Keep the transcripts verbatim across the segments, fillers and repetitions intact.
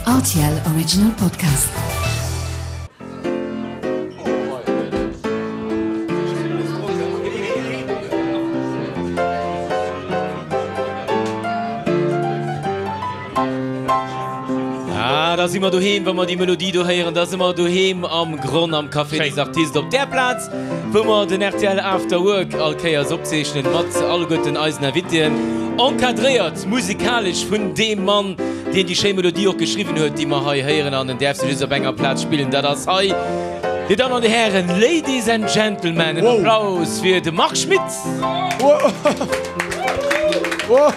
R T L Original Podcast. Ah, da si mer doheem, wa mer déi Melodie do héieren, da si mer doheem am Gronn am Café des Artistes op där Plaz, wou mer den R T L After Work all Kéiers opzeechnen mat alleguerten eisen Invitéen, encadréiert musikalesch vun deem Mann, deen déi schéi Melodie och geschriwwen huet, déi mer hei héieren, an en däerf se just op enger Plaz spillen, dat ass hei. Dir Dammen an Dir Hären, Ladies and Gentlemen, en Applaus fir de Marc Schmitt! Wow.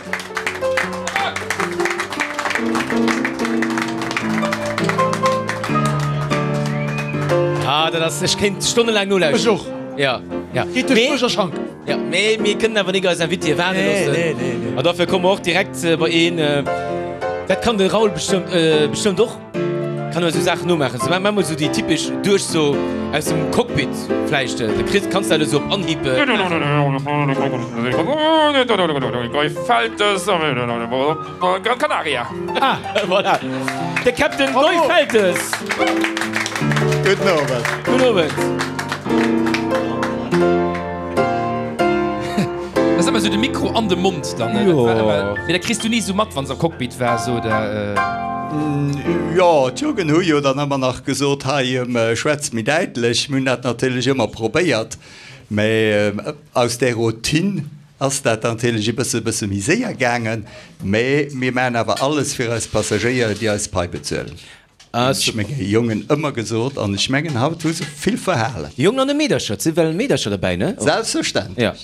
Ah, dat ass, ech kéint stonnelaang nolauschteren. Ech och. Ja, ja. Geet duerch Buerg a Schank. Ja, mee mir kënnen awer nik eis Invitée waarde Nee, loossen. nee, nee, nee. An dofir komme mer och direkt bei een, dat kann de Raoul bestëmmt, bestëmmt och, kann ëmmer esou Saachen nomaachen. So, maach mol esou déi typesch Duerchso aus dem Cockpit vläicht. De Chris, kanns dat esou op Anhieb maachen? Gran Canaria. Ah, voilà. De Captain Guy Feltes. Gudden Owend. Gudden Owend. Dat ass ëmmer esou de Mikro an de Mond dann, ne? Jo. Dat war ëmmer, mee dat kriss du ni esou mat, wann se am Cockpit war, sou, oder? Jo, d'Jugend hu jo dann ëmmer nach gesot, hei, schwätz méi däitlech. Mir hunn dat natierlech ëmmer probéiert, mä aus där Routine ass dat natierlech e bësse bësse méi séier gaangen. Mä mir maachen awer alles fir eis Passagéier, déi eis Pai bezuelen. Ah, Hunn ech super. menge Jongen ëmmer gesot an ech mengen, haut hu se vill verhalen. Jongen an e Meedercher, et si well Meedercher derbäi, ne? Selbstverständlech. Ja.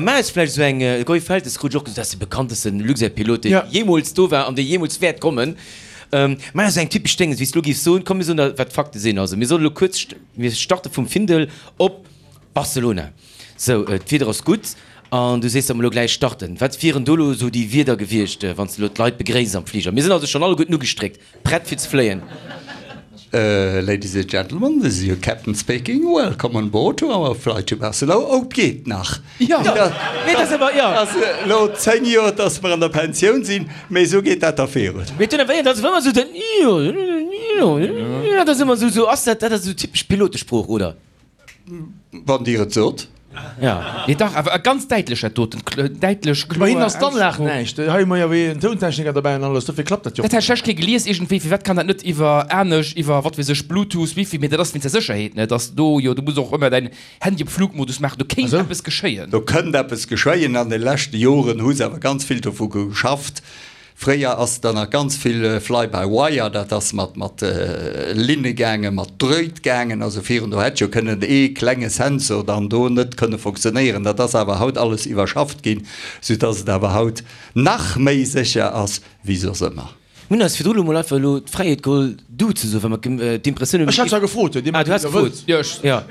Mä ass vläicht esou eng, de Guy Feltes krut ech och gesot, dat ass de bekanntesten Luxair-Pilot, dee Ja. jeemools do war an dee jeemools wäert kommen. Mä ass eng typesch Dénges, wéi s de elo géifs soen, komm mir soen der, wat d'Fakte sinn. Also mir solle elo kuerz, mir starte vum Findel op Barcelona. Sou, d'Wieder ass gutt an du sees, datt mer elo gläich starten. Wat wieren do elo esou déi Wierder gewiescht, wann s de elo d'Leit begréisst am Fliger? Mir sinn also schonn alleguerten ugestréckt, prett fir ze fléien. Ladies and gentlemen, this is your captain speaking. Welcome on board to our flight to Barcelona. Oh, 't geet nach. Jo, mee dat ass awer, jo. Ass elo zéng Joer, dass mer an der Pensioun sinn, mee esou geet dat da virun. Mee dunn awer, dat ass ëmmer esou den jo, jo, dat ass ëmmer esou, esou ass dat, dat ass esou typesch Pilotesprooch, oder? Wann Dir et sot. Ja. Nee, dach, awer ganz däitlech dat doten, däitlech, Bei hinnen kloer ass d'Anlag Aussprooch. näischt. Hei hu mer jo wéi en Tountechniker derbäi an alles, dofir klappt dat jo. Dat hat ech lech kee gelies iergendwéi, firwat kann dat net iwwer anescht, iwwer wat weess ech, Bluetooth, Wifi, mee dat ass wéinst der Sécherheet, ne, dass do jo, du muss och ëmmer däin Handy op Flugmodus maachen, do kéint Esou? eppes geschéien. Do kënnt eppes geschéien. An de leschte Joren hu se awer ganz vill dovu geschafft. Fréier ass dann nach ganz vill Fly by wire, dat ass mat mat Linne gaangen, mat Dröit gaangen, also virun do hätt jo kënnen ee klenge Sensor dann do net kënne funktionéieren. Dat ass awer haut alles iwwerschafft ginn, soudass et awer haut nach méi sécher ass wéi soss ëmmer. Mir hunn eis virdru lo mol einfach elo d'Fräiheet geholl, du ze soen, well mer d'Impressioun hunn, Ech hat zwar gefrot, huet Dir Ah, du has gefrot. Jo, ech. Ja.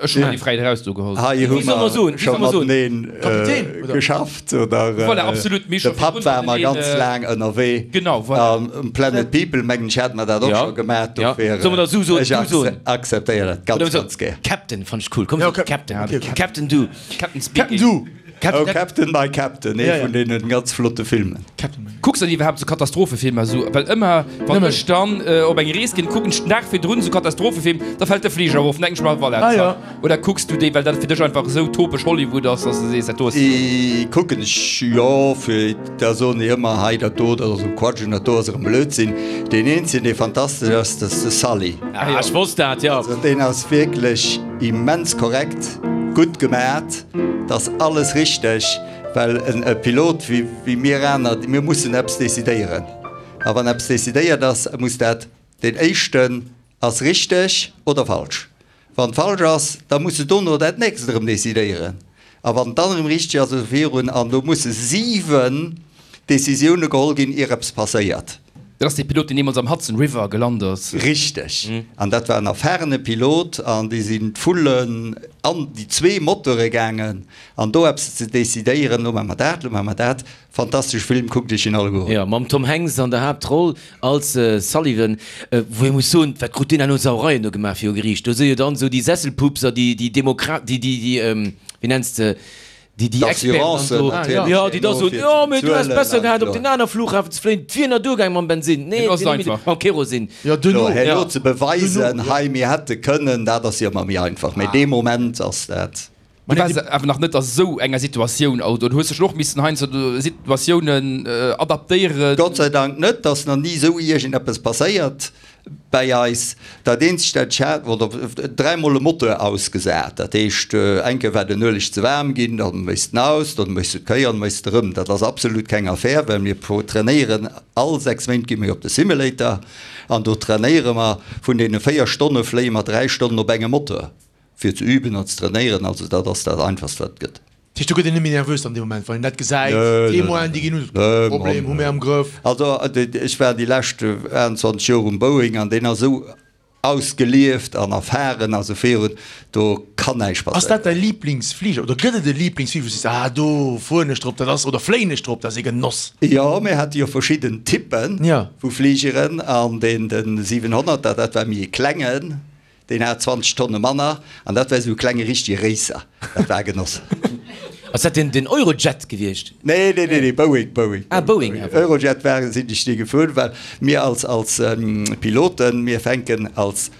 Ech hunn déi Fräiheet eraus do geholl. Hei hu Wéi soll mer soen? mer Wéi scho soll mer soen? mateneen Kapitän, oder? geschafft, oder? Voilà, absolut. Mir De scho Papp virdrun war mer mateneen, ganz laang ënnerwee. Genau, voilà. An um Planet People, mengen ech, hate mer dat och Ja. scho gemaach. Ja. Dofir, Soll mer da sou soen, ech du soen? akzeptéieren dat ganz, Oder so, ganz gär. Captain fannt ech cool. Komm, Ja, so, okay. Captain. Okay, okay. Captain du. Captain Captain speaking. Du! Oh, Captain my Captain, ee Ja, ja. vun deenen ganz flotte Filmen. Captain my. Kucks der iwwerhaapt sou Katastrophefilmer sou? Well ëmmer wann Nëmmen. ech dann op eng Rees ginn, kucken ech den Dag virdrun sou Katastrophefilm, da fält de Fliger erof, dann denken ech mer, voilà, Ah, ja. zack. Oder kucks du déi, well dat fir dech einfach esou topesch Hollywood ass, dass de sees, dat do ass. Déi kucken ech, jo, fir da soen déi ëmmer, hei dat do, dat ass erëm Quatsch an dat do ass erëm Blödsinn. Deen eenzegen, dee fantastesch ass, dat ass de Sully. Ah, ech wosst dat, jo. Also deen ass wierklech immens korrekt, gutt gemat, 't ass alles richteg, well en e Pilot wéi wéi mir aner, mir mussen eppes decidéieren. A wann eppes decidéiert ass, muss dat, deen éischten ass richteg oder falsch. Wann et falsch ass, da muss de dono dat nächst erëm decidéieren. A wann et dann erëm richteg ass, esou virun. An do musse siwen Decisioune geholl ginn, ier eppes passéiert. Dat ass dee Pilot, deen deemools am Hudson River gelant ass. Richteg. An dat war en erfahrene Pilot an déi sinn d'Vullen an déi zwee Motore gaangen an do eppes ze decidéieren, lo maache mer dat, lo maache mer dat. Fantastesch Film, kuckt iech en alleguer un. Jo, mam Tom Hanks an der Haaptroll als Sullivan, wou ee muss soen, wat krut deen herno Sauereien do gemaach viru Geriicht. Do si jo dann esou déi Sesselpupser, déi, déi Demokrat, déi, déi, déi, wéi nenns de, déi déi Experten dann do, D'Assurancen jo, déi da natierlech soen, herno fir jo, ze mee du häss bezuelen besser an gehat op jo. deen aner Flughafen ze fléien, et wier nach duergaang mam Bensinn, nee, Mee do ass et et wier net méi einfach. mam Kerosin. Jo, duerno. Jo, herno Ja. ze beweisen, Duerno, jo. hei mir hätte kënnen, dat ass jo ëmmer méi einfach, mee dee Moment ass dat. Du waars awer nach net a sou enger Situatioun, oder hues dech och missen heiansdo Situatiounen adaptéieren? Gott sei Dank net, ass nach ni sou iergendeppes passéiert bäi eis. Dat eenzegt dat ech hat, oder dräimol e Moteur ausgesat, dat heescht eng Kéier war den Ueleg ze waarm ginn, dann méchs de en aus, dann méchs de d'Kéier an méchs de erëm. Dat ass absolut keng Affär, well mir trainéieren all sechs Méint gi mir op de Simulator an do trainéiere mer, vun deene véier Stonne fléie mer dräi Stonnen op engem Moteur. Fir ze üben an ze trainéieren, also dat ass dat einfachst wat et gëtt. Dat heescht do gëtt een net méi nervös dann dee Moment wann een dat gesäit, d'Témoinen déi ginn un, Problem hu mir am Grëff. Also ech war déi lescht aachtundzwanzeg Joer um Boeing an deen ass esou ausgelieft an erfahren a sou virun, do kann näischt Ass dat passéieren. däi Liblingsfliger oder gëtt et e Liblingsfliger wou du sees, ah do fueren ech drop, dat ass, oder fléien ech drop, dat ass ee Genoss? Jo, mir hate jo verschidden Typpe vu Fligeren an deen de siwenhonnerter, dat war méi e klengen, Deen hat zwanzeg Tonne manner an dat war esou e klenge richtege Racer. Dat war e Genoss. Ass dat den den Eurojet gewiescht? Nee, nee, nee, nee, Boeing, Boeing. Ah, Boeing awer. Eurojet war, sinn ech ni gefuer, well mir als, als Piloten, mir fänken als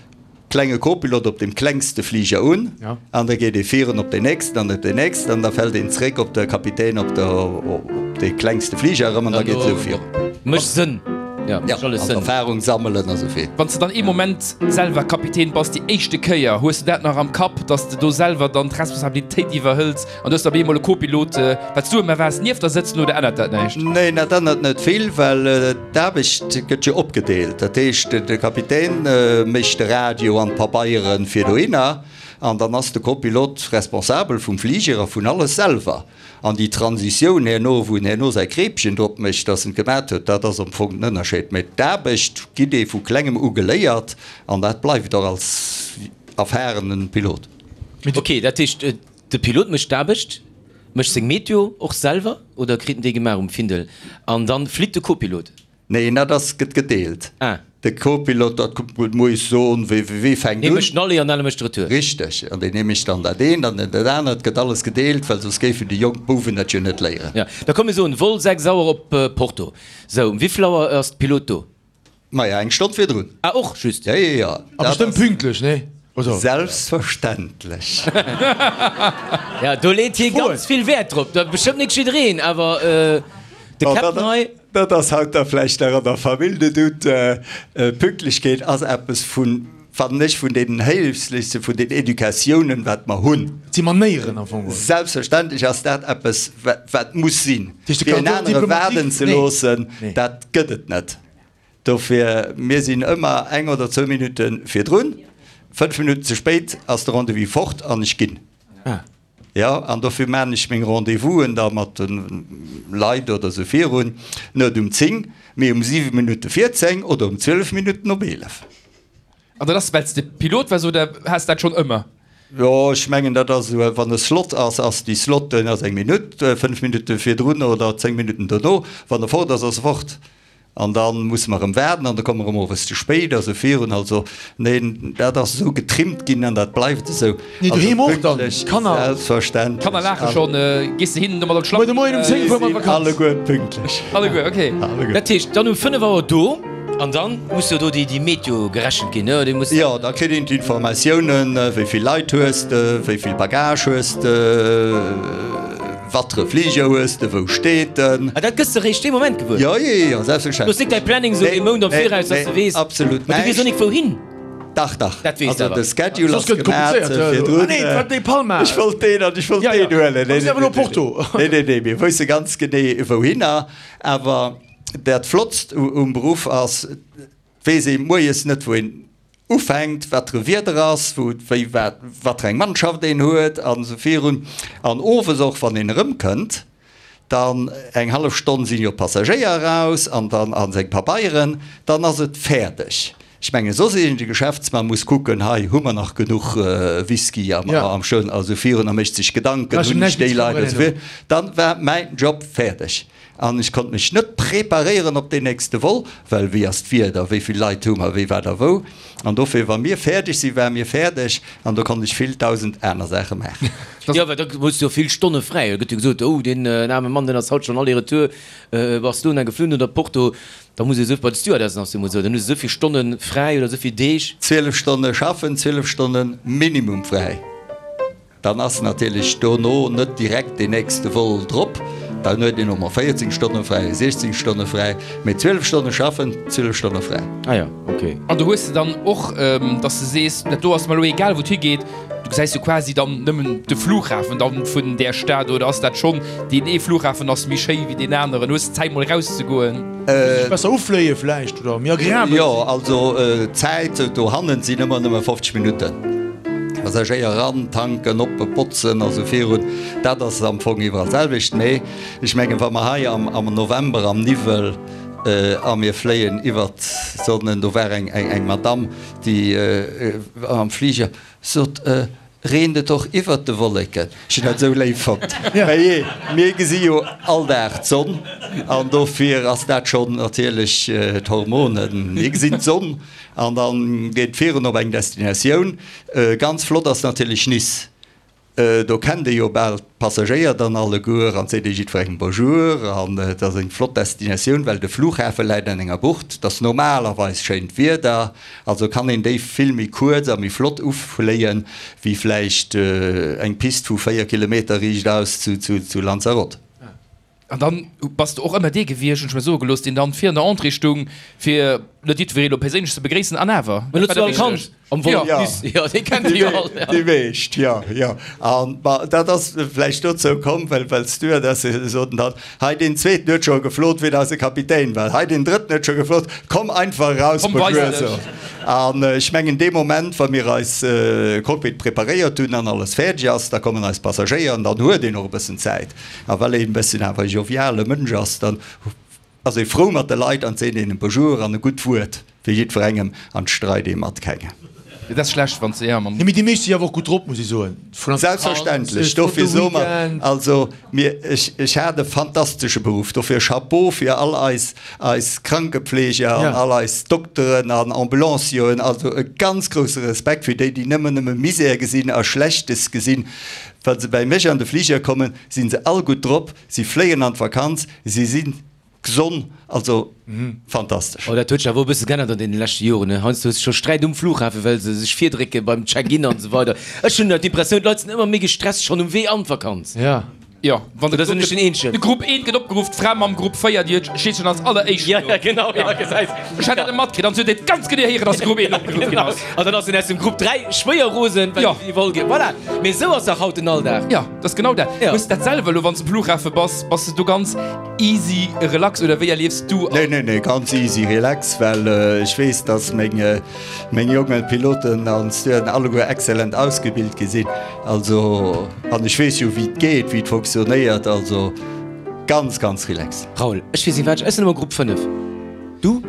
klenge Co-Pilot op deem klengste Fliger un an da geet ee virun op deen nächsten an op deen nächsten an da fält een zréck op de Kapitän op de, op dee klengste Fliger erëm an da geet et esou virun. Mécht Sënn. Ja, Ja, alles an Sënn. Erfahrung sammelen a sou vill. Wann s de dann ee Moment selwer Kapitän bass, déi éischte Kéier, hues de dat nach am Kapp, dass de do selwer dann d'Responsabilitéit iwwerhëls an du hues da op eemol e Co-Pilot, wat s du ëmmer waars, nieft der sëtzen oder ännert dat näischt? Neen, dat ännert net vill, well d'Aarbecht gëtt jo opgedeelt. Dat heescht, de Kapitän mécht de Radio an d'Pabeiere fir dohinner an dann ass de Co-Pilot responsabel vum Fliger a vun alles selwer. An déi Transitioun herno, wou en herno säi Kreepchen drop mécht, dass en et gemat huet, dat ass am Fong den Ënnerscheed. Mä d'Aarbecht gitt ee vu klengem u geléiert an dat bleift och als erfahrenen Pilot. Ok, dat heescht, de Pilot mécht d'Aarbecht, mécht seng Meteo och selwer oder kritt en déi gemaach um Findel an dann flitt de Co-Pilot? Neen, dat ass, gëtt gedeelt. Ah. De Co-Pilot, dat muss ech soen, wee, wee fänkt Dee un? mécht den Aller an den anere mécht de Retour. Richteg. An deen ee mécht dann dat eent an deen dat anert. Et gëtt alles gedeelt, well soss géifen déi jonk Bouwen dat jo net léieren. Ja, da komm mir soen, Vol sechs Auer op Porto. Sou, um wéivill Auer ass de Pilot do? Maja, eng Stonn virdrun. Ah, och just. Jo, jo, jo. A bestëmmt pünktlech, nee? Oder? Selbstverständlech. Ja, do leet hie ganz vill Wäert drop. Da bestëmmt nik jiddereen, awer de Captain hei. Dat ass haut da vläicht nach an der Famill de Doute. Pünktlechkeet ass eppes vun, fannen ech, vun deenen héiflechste vun den Educatiounen, wat mer hunn. Et si Manéieren am Fong geholl. Selbstverständlech ass dat eppes, wat muss sinn. Dat heescht, de Fir en Cordon anere diplomatique, waarden ze nee. loossen, Nee. dat gëtt et net. Dofir, mir sinn ëmmer eng oder zwou Minutte virdrun. Fënnf Minutten ze spéit ass de Rendez-vous fort an ech ginn. Ah. Jo, an dofir maachen ech meng Rendez-vousen da mat de Leit oder sou virun, net um zéng, mee um siwe Minutte vir zéng oder um zwielef Minutten op eelef. An dat ass, well s de Pilot waars oder has dat schonn ëmmer? Jo, ech mengen, dat ass esou, wann e Slot ass, ass déi Slot, ass eng Minutt, fënnf Minutte virdrun oder zéng Minutten dono. Wann e fort ass, ass e fort. An da musse mer erëm waarden an da komme mer erëm owes ze spéit a sou virun. Also, neen, dat ass esou getrimmt ginn an dat bleift esou. Nee, Also doheem och dann, pünktlech, d'Kanner. selbstverständlech. D'Kanner laache schonn. Gees de hinnen domat op d'Schlapp? Muer de Moien um zéng fuere mer an d'Vakanz. Alleguer pünktlech. Alleguer, okay. Alleguer. Dat heescht, dann um fënnef Auer do an dann muss jo do déi, déi Meteo gerechent ginn, ne? Déi muss. Jo, da kritt een d'Informatiounen, wéi vill Leit hues de, wéi vill Bagage hues de, Wattere Fliger hues de, wou steet en? Ah, dat gëss de réischt dee Moment gewuer? Jo, jo, jo, selbstverständlech. Du hues nik däi Planning esou ee Mount am Viraus, dass de weess. Absolut Mä du weess och nik wouhin. Dach, dach. Dat weess de Also awer. de Schedule Soss ass gëtt et gemat komplizéiert. virdrun. Ah nee, et war dee Palma. Ech wollt deen an ech wollt Ja, ja. deen huelen. Mir sinn awer elo Porto. Nee, nee, nee, mir wësse ganz genee wouhinner. Awer dat Flottst um Beruff ass, et weess ee moies net wou een ufänkt, wat fir e Wieder ass, wou, wéi, wat, wat fir eng Mannschaft een huet an esou virun. An owes och, wann een erëmkënnt, dann eng hallef Stonn sinn jo d'Passagéier eraus an dann a seng Pabeieren, dann ass et fäerdeg. Ech mengen, soss iergend e Geschäftsmann muss kucken, hei hu mer nach genuch Whisky am, am Schön a sou virun a mécht sech Gedanken, hunn ech déi Leit a sou virun. Dann war mäin Job fäerdeg. An ech konnt mech net preparéieren op deen nächste Vol, well wéi ass d'Wieder, wéi vill Leit hu mer, wéi wat a wou. An dofir, wa mir fäerdeg sinn, ware mir fäerdeg an do konnt ech vill dausend aner Saache maachen. Jo, well da hues du jo vill Stonne fräi. Da gëtt jo gesot, oh deen aarme Mann, deen ass haut schonn Aller-retour Barcelona geflunn oder Porto. Da muss ee sou, bei de Stewardessen ass jo emol esou, dann hu se esou vill Stonne fräi oder esou vill Deeg. Zwielef Stonne schaffen, zwielef Stonne minimum fräi. Dann ass natierlech dono net direkt deen nächste Vol drop. Dann huet een och mol véierzéng Stonne fräi, siechzéng Stonne fräi, mee zwielef Stonne schaffen, zwielef Stonne fräi. Ah jo, ok. An do hues de dann och, dass de sees, dat do ass mer elo egal, wou et higeet. Du gesäis jo quasi dann nëmmen de Flughafen dann vun där Stad, oder ass dat schonn, deen ee Flughafen ass méi schéi wéi deen aneren? Hues de Zäit mol erauszegoen? Sech besser ufléie vläicht oder méi agreabel sinn? Jo, also d'Zäit dohannen sinn ëmmer nëmme fofzeg Minutten. Passagéier eran, tanken, oppe botzen a sou virun, dat ass am Fong iwwerall d'selwecht. Mee ech mengen, wa mer hei am November am Niwwel a mir fléien iwwert d'Sonne, do war eng Madamm, déi am Fliger sot, Reent et och iwwert de Wolleken? Ech hunn dat esou léif fonnt. Mä jee, mir gesi jo all Dag d'Sonn an dofir ass dat schonn natierlech d'Hormonen. Mir gesinn d'Sonn an da geet et virun op eng Destinatioun. Ganz flott ass natierlech Nice. Do kennt ee jo bal d'Passagéier dann alleguer an seet ee jiddwerengem Bonjour. An et ass eng flott Destinatioun, well de Flughafe läit an enger Bucht. Et ass normalerweis schéint Wieder, also kann een déi vill méi kuerz a méi flott ufléien, wéi vläicht eng Pist vu véier Kilometer riichtaus zu Lanzarote. An dann bass de och ëmmer dee gewiescht, hunn ech mir soe gelooss, deen dann vir an der Entrée stung, fir net jiddweree lo perséinlech ze begréissen, an awer, dat war der wichteg. Am Vol op Nice, jo, dee kennt Dir jo all. Déi meescht, jo, jo. An ma dat ass vläicht dozou komm, well well d'Stewardesse soten dann, hei deen zweeten huet scho geflot, wéi eise Kapitän war, hei deen drëtten huet scho geflot, komm einfach eraus, Komm, weis bonjour, dech. so. An ech mengen, dee Moment, wa mir eis Cockpit preparéiert hunn an alles fäerdeg ass, da kommen eis Passagéier an dann huet een och e bëssen Zäit. A well een e bësschen awer e joviale Mënsch ass, dann ass ee frou mat de Leit an seet een e Bonjour an e gutt Wuert fir jiddwerengem an streit ee mat kengem. Dat ass schlecht, wann s de, ja, mam. Nee, mee déi meescht si awer och gutt drop, muss ech soen. Vun an d'Vakanz, Selbstverständlech, e flotte dofir soe mer, Weekend. also mir, ech, ech hat e fantastesche Beruff, dofir Chapeau fir all eis, eis Krankepfleger an Ja. all eis Dokteren an Ambulancieren, also e ganz grousse Respekt fir déi, déi nëmmen, nëmme Misär gesinn a Schlechtes gesinn. Wa se bäi mech an de Fliger kommen, si se all gutt drop, si fléien an d'Vakanz, si si gesond, also fantastesch. Oh, dat huet sech awer och e bësse geännert an deene leschte Joren, ne? Heiansdo hues de scho Sträit um Flughafen, well se sech virdrécke beim Check-in an esou weider. Ech hunn d'Impressioun, d'Leit sinn ëmmer méi gestresst schonn um Wee an d'Vakanz. Ja. Jo, wann de Oder sinn ech den Eenzegen? De Grupp eent gëtt opgeruff, d'Fra mam Grupp véier, déi huet steet schonn als alleréischt Ja, do. ja, genau, ja, gesäis. Ech hat dat net matkritt, an se huet et ganz genee héieren, dass de Grupp eent opgeruff ginn ass. An dann ass en aus dem Grupp dräi schwéier rosen, well Ja. déi voll ginn. Voilà, mee esou ass dach haut den Alldag. Ja, dat ass genau dat. Ja. Hues de dat selwer elo, wann s de um Flughafe bass, bass de do ganz easy relax oder wéi erliefs du? Nee, nee, nee, ganz easy relax, well ech weess, dass meng, meng jonge Piloten an Stewarden alleguer excellent ausgebilt gi sinn. Also, an ech weess jo, wéi et geet, wéi et fonctionnéiert, also ganz, ganz relax. Raoul, ech weess net wat, ech sinn ëmmer Grupp fënnef. Du?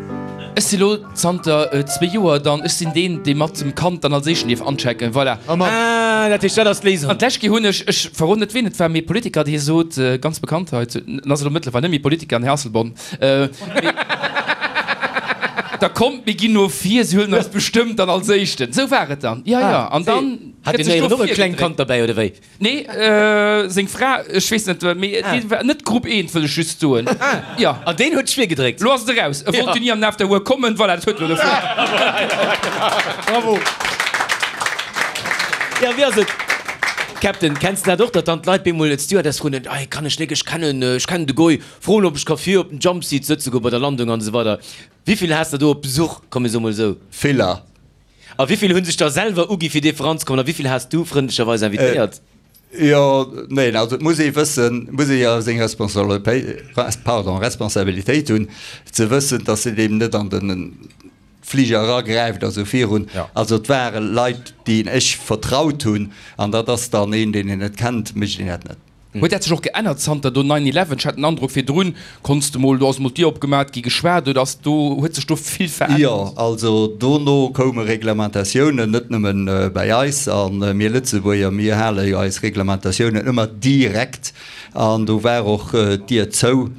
Ech si lo zanter zwee Joer dann, ech sinn deen, dee mat dem Kand dann als éischten dierf anchecken, voilà. Ah, dat heescht, dat ass d'Léisung. An d'lescht Kéier hunn ech, ech verroden net ween et war, mee e Politiker, dee sot, ganz bekannt hei, en ass elo mëttlerweil net méi Politiker, den Här Asselborn, mee da kommt, mir ginn no vir, si huelen eis bestëmmt dann als éischten. Esou war et dann, jo, jo. An dann Hat gëtt deen sech do Héieren och e klengt virgedréckt. Kand derbäi, oder wéi? Nee, seng Fra, ech weess net, mee dee war net Grupp eent, wëll ech just soen. Jo. An deen huet schwier gedréckt. Lo ass et eraus. E wollt jo ni an den After Work kommen, voilà, dat huet elo dofir. Bravo! Jo, wéi ass et, Captain, kenns de dat och, datt dann d'Leit bemol d'Stewardess froen, Ei, kann ech nik, ech kennen, ech kennen de Goy, froen, ob ech ka vir op den Jumpseat sëtze goen bei der Landung an esou weider. Wéi vill has de do op Besuch, komm mir soe mol esou? Viller. A wéi vill hu sech da selwer ugi fir dierfe ranzekommen a wéi vill has du frëndlecherweis invitéiert? Jo, neen, also et muss ee wëssen, muss ee jo seng pardon, Responsabilitéit hunn, ze wëssen, datt een eben net an de Fliger eragräift a sou virun. Also et ware Leit, déi ech vertraut hunn, an dat ass dann een, deen een net kennt, mécht een dat net. Huet dat sech och geännert zanter do nine eleven? Ech hat den Androck virdrun konns de mol, do ass mol d'Dier opgemat gi, geschwat, oder ass do, huet sech do vill verännert? Jo, also dono koume Reglementatiounen, net nëmmen bäi eis, a mir Lëtzebuerger, mir hale jo eis Reglementatiounen ëmmer direkt, an do war och d'Dier zou.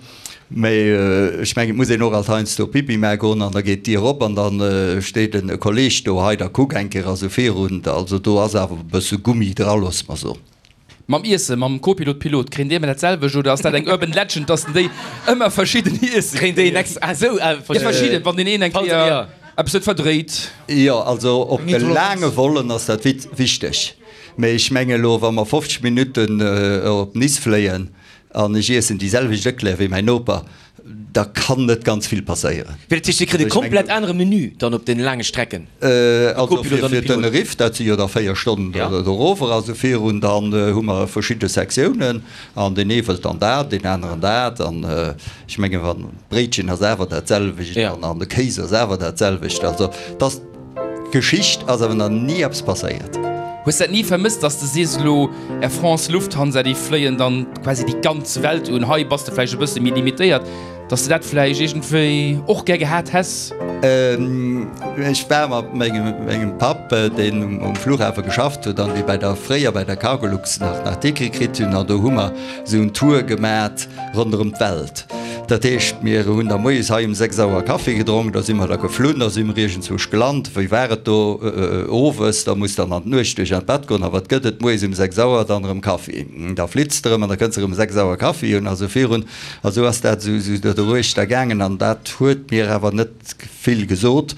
Mee ech mengen, et muss een och alt heiansdo Pipi maache goen an da geet d'Dier op an da steet en Kolleeg do, hei da kuck eng Kéier a sou virun. Also do ass awer e bësse Gummi dra, loosse mer soen. Mam Iessen, mam Copilot, Pilot, kréien déi ëmmer dat selwecht oder ass dat eng urban legend, dass déi ëmmer verschidden Iessen Kréien déi en extra, ah sou, ah Ja, verschidden, wann deen een eng Kéier eppes net verdréit. Jo, also op de laange Vollen ass dat wichteg. Mee ech menge elo, wa mer fofzeg Minutten op Nice fléien an ech iessen déi selwecht Eclair wéi mäin Noper, da kann net ganz vill passéieren. Dat heescht, Dir kritt e komplett anere Menü dann op den laange Strecken? Also fir Tenerife, dat si jo da véier Stonnen dorower, also virun, dann hu mer verschidde Sektiounen an deen ee wëllt dann dat, deen aneren dat. An ech menge wann d'Bréitchen ass awer dat selwecht an de Kéis ass awer dat selwecht. Also dass. Geschicht ass awer nach ni eppes passéiert. Hues dat ni vermësst, dass de sees elo Air France, Lufthansa, déi fléien dann quasi déi ganz Welt un, hei bass de vläicht e bësse méi limitéiert, dass de dat vläicht iergendwéi och gär gehat häss? Ech war mat mengem Papp, deen um Flughafe geschafft huet an dee bei der, fréier bei der Cargolux nach nach Ticket kritt hunn, an do hu mer esou en Tour gemat ronderëm d'Welt. Dat heescht, mir hunn da moies hei um sechs Auer Kaffi gedronk, da si mer da geflunn, da si mer iergendzwousch gelant. Wéi war et do owes? Da muss dann an d'Nuecht duerch an d'Bett goen. A wat gëtt et moies um sechs Auer? Dann erëm Kaffi. Da flitts de erëm an da kënns de erëm sechs Auer Kaffi hunn a sou virun. A sou ass dat esou doruechter gaangen an dat huet mir awer net vill gesot.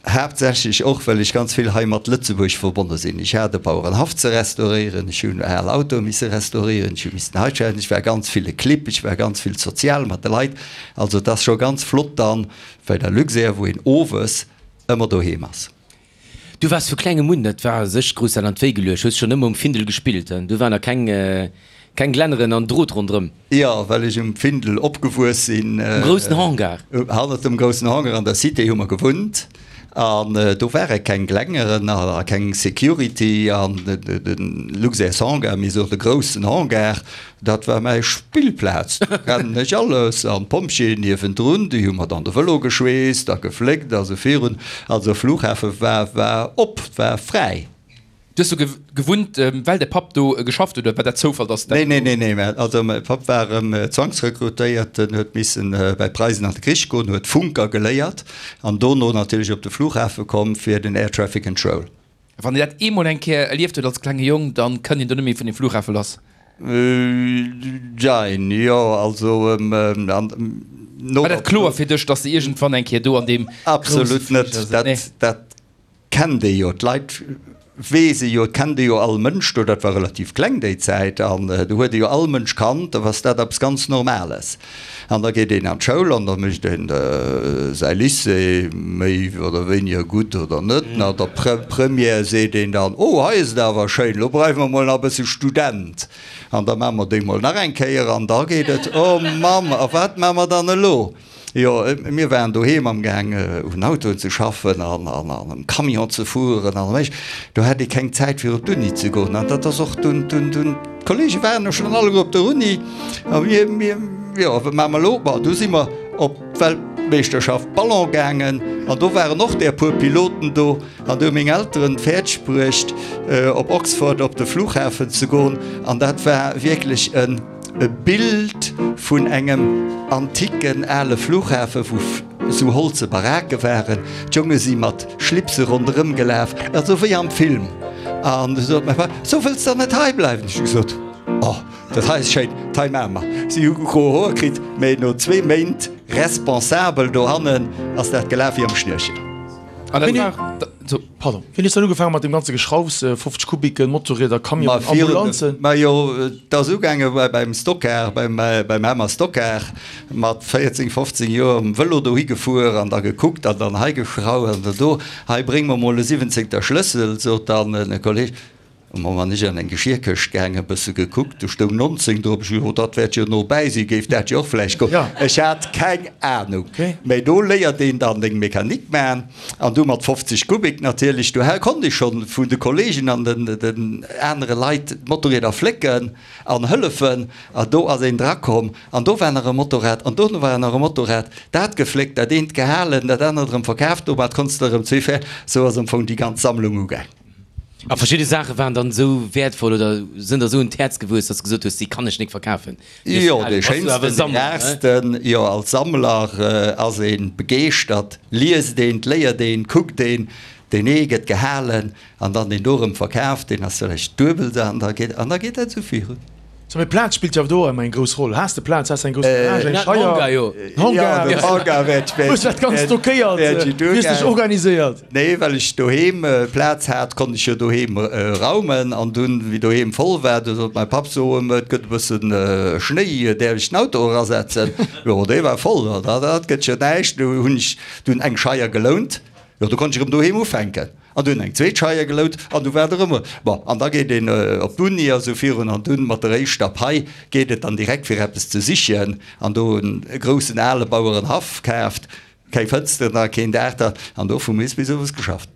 Haaptsächlech och, well ech ganz vill hei mat Lëtzebuerg verbonne sinn. Ech hat e Bauerenhaff ze restauréieren, ech hunn al Autoe misse restauréieren, ech hu missen hei schaffen, ech war ganz vill e Clibb, ech war ganz vill sozial mat de Leit. Also et ass scho ganz flott dann bei der Luxair, wou een owes ëmmer doheem ass. Du waars vu klengem un, dat war sech grouss dat an d'Wéi geluecht, hues schonn ëmmer um Findel gespillt, du war nach keng Keng Glänneren an Drot ronderëm. Jo, well ech um Findel opgewuess sinn. Um groussen Hangar. Hannert dem groussen Hangar an der Cité hu mer gewunnt. An do ware keng Glängeren a keng Security. An de Luxairs Hangar, mir soen de groussen Hangar, dat war mäi Spillplaz. Do kennen ech alles. An d'Pompjeeën niewendrun, déi hu mer dann de Vëlo geschweesst a gefléckt a sou virun. Also Flughafe war war op, war fräi. Du hues do gewunnt, well däi Papp do geschafft huet, oder war dat Zoufall, dass dat. Nee, nee, nee, nee, mä also mäi Papp war erëm zwangsrekrutéiert, en huet missen bäi d'Preisen an de Krich goen, huet Funker geléiert an dono natierlech op de Flughafe komm fir den Air Traffic Control. Wann een dat eemol eng Kéier erlieft huet als klenge Jong, dann kënnt een do net méi vun dem Flughafe lass. Jein, jo, also an no. War dat kloer fir dech, dass de iergendwann eng Kéier do an deem grousse Fliger sëtz? Absolut net, dat, dat kennt ee jo, d'Leit weess ee jo, et kennt ee jo all Mënsch do, dat war relativ kleng déi Zäit, an do huet ee jo all Mënsch kannt, da ass dat eppes ganz Normales. An da geet een an d'Schoul an da mécht een säi Lycée méi oder wéiniger gutt oder net. No der Première seet een dann, oh hei ass et awer schéin, lo bleiwe mer mol nach e bësse Student an da maache mer déi mol nach eng Kéier an da geet et, oh Mamm, a wat maache mer dann elo? Jo, mir waren doheem am gaang un Autoen ze schaffen an am Camion ze fueren an eréischt do hat ee keng Zäit fir op d'Uni ze goen an dat ass och dunn, dunn, dunn, d'Kollege waren jo schonn alleguer op der Uni a mir, mir, jo, wat maache mer elo? Bon, du si mer op d'Weltmeeschterschaft Ballon gaangen an do waren och där puer Piloten do an du hu meng Elteren fäerdeg bruecht op Oxford op de Flughafen ze goen an dat war wierklech en. E Bild vun engem antiken ale Flughafe wou sou holze Barake waren. D'Jonge si mat Schlipse ronderëm gelaf, also wéi am Film. An du sot mäi Papp, So wëlls der net hei bleiwen? Ech hu gesot, Oh, dat hei ass schéin, dat hei maache mer. Si hu gro Hoer kritt, mee no zwee Méint responsabel dohannen ass dat gelaf wéi am Schnürchen. An dat war so. Pardon, wéini hues du dann ugefaangen mat deem ganze Geschraufs, fofzeg Kubiken, Motorrieder, Camionen, Ambulanzen? Ma jo, et ass ugaange beim Stockcar, beim Hemmer Stockcar, mat véierzéng, fofzéng Joer um Vëlo dohi gefuer an da gekuckt an dann hei geschrauft an dann do, hei bréng mer mol e siwwenzéngter Schlëssel, sot dann e Kolleg. Mamm an ech an eng Geschierkëscht gaangen, e bësse gekuckt, do stoung nonzéng drop. Ech gesot, oh, dat wäert jo no bäi sinn, géif dat jo och vläicht goen. Ech hat keng Anung. Mä do léiert een dann deng Mechanik man an du mat fofzeg Kubik natierlech. Do konnt ech schonn vun de Kollegen an den anere Leit d'Motorrieder flécken an hëllefen. An do ass een drakomm an do war nach e Motorrad an do war nach e Motorrad. Dat gefléckt, dat eent gehalen, dat anert erëm verkaaft. Domat konns de erëm zwee Fär. Sou ass am Fong déi ganz Sammlung ugaang. A verschidde Saache waren dann esou wäertvoll oder sënn der esou un d'Häerz gewuess, dass de gesot hues, déi kann ech nik verkafen. Jo, dee schéinsten, dee rarsten, jo, als Sammler ass ee begeeschtert, liest een, léiert een, kuckt een, deen ee gëtt gehalen an dann deen do erëm verkaaft, deen ass vläicht duebel an da geet, an da geet dat esou virun. Sou, mee Plaz spillt jo awer do ëmmer eng grouss Roll. Has de Plaz, has de eng grouss Garage, eng Scheier, en Hangar? Jo, den Hangar wäert ech, Hues du dat Ganzt stockéiert? wäert ech Wéi hues de dech organiséiert? Nee, well ech doheem Plaz hat, konnt ech jo doheem raumen. An dunn, wéi doheem voll war, du sot mäi Papp, So, et gëtt e bëssen Schnéi, däerf ech den Auto erasetzen? Jo, dee war voll, dat gëtt jo näischt. Du hunn ech dunn eng Scheier gelount. Jo, du konnt ech erëm doheem ufänken. An du hunn eng zweet Scheier gelount an du war et erëm. Bon, an da geet een op d'Uni a sou virun an dunn mat der éischter Pai geet et dann direkt fir eppes ze sichen an do en groussen ale Bauerenhaff kaaft, keng Fënsteren dran, keen Daach dran an do vu moies bis owes geschafft.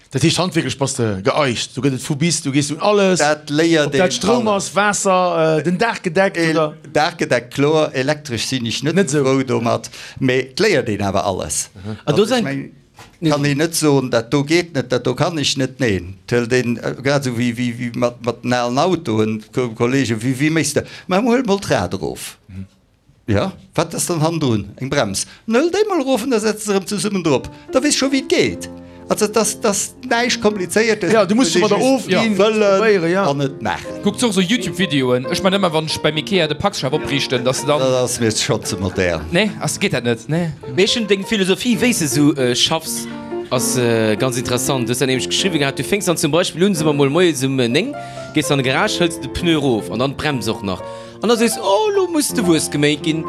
Dat heescht handwierklech bass de geeicht, do gëtt et vu bis, du gees un alles, Dat léiert ob dat een Stroum alles. ass, Waasser, den Daach gedeckt oder? Daach gedeckt, kloer, elektresch sinn ech net Net esou esou. frou domat, mee et léiert een awer alles. An do Also ech seng. meng. Kann een net soen, dat do geet net, dat do kann ech net. Neen, et hëlt een, grad esou wéi, wéi, wéi mat, mat den alen Autoen, Kollegen, wéi, wéi méchs de? Ma huel mol d'Rad erof. Jo, wat ass dann hannendrun? Eng Brems. Dann huel déi mol erof an da setz se erëm zesummen drop. Da weess scho wéi et geet. Also et ass, et ass näischt Komplizéiertes, Jo, du muss et muss domadder ee just ofginn, wëllen probéieren, jo. an et maachen. Kucks och sou Youtube Videoen? Ech man ëmmer wann ech beim Ikea de Packschaf opriichten, dass de dann. Dat ass mir schonn ze modern. Nee, ass geet dat net? Nee. Mee ech hunn deng Philosophie wéi s de sou schaffs ass ganz interessant. Du hues dat nämlech geschriwwen gehat, du fénks dann zum Beispill un, soe mer mol moies um néng, gees an de Garage, hëls de Pneu erof an dann d'Brems och nach an da sees oh lo muss de Wues geméit ginn.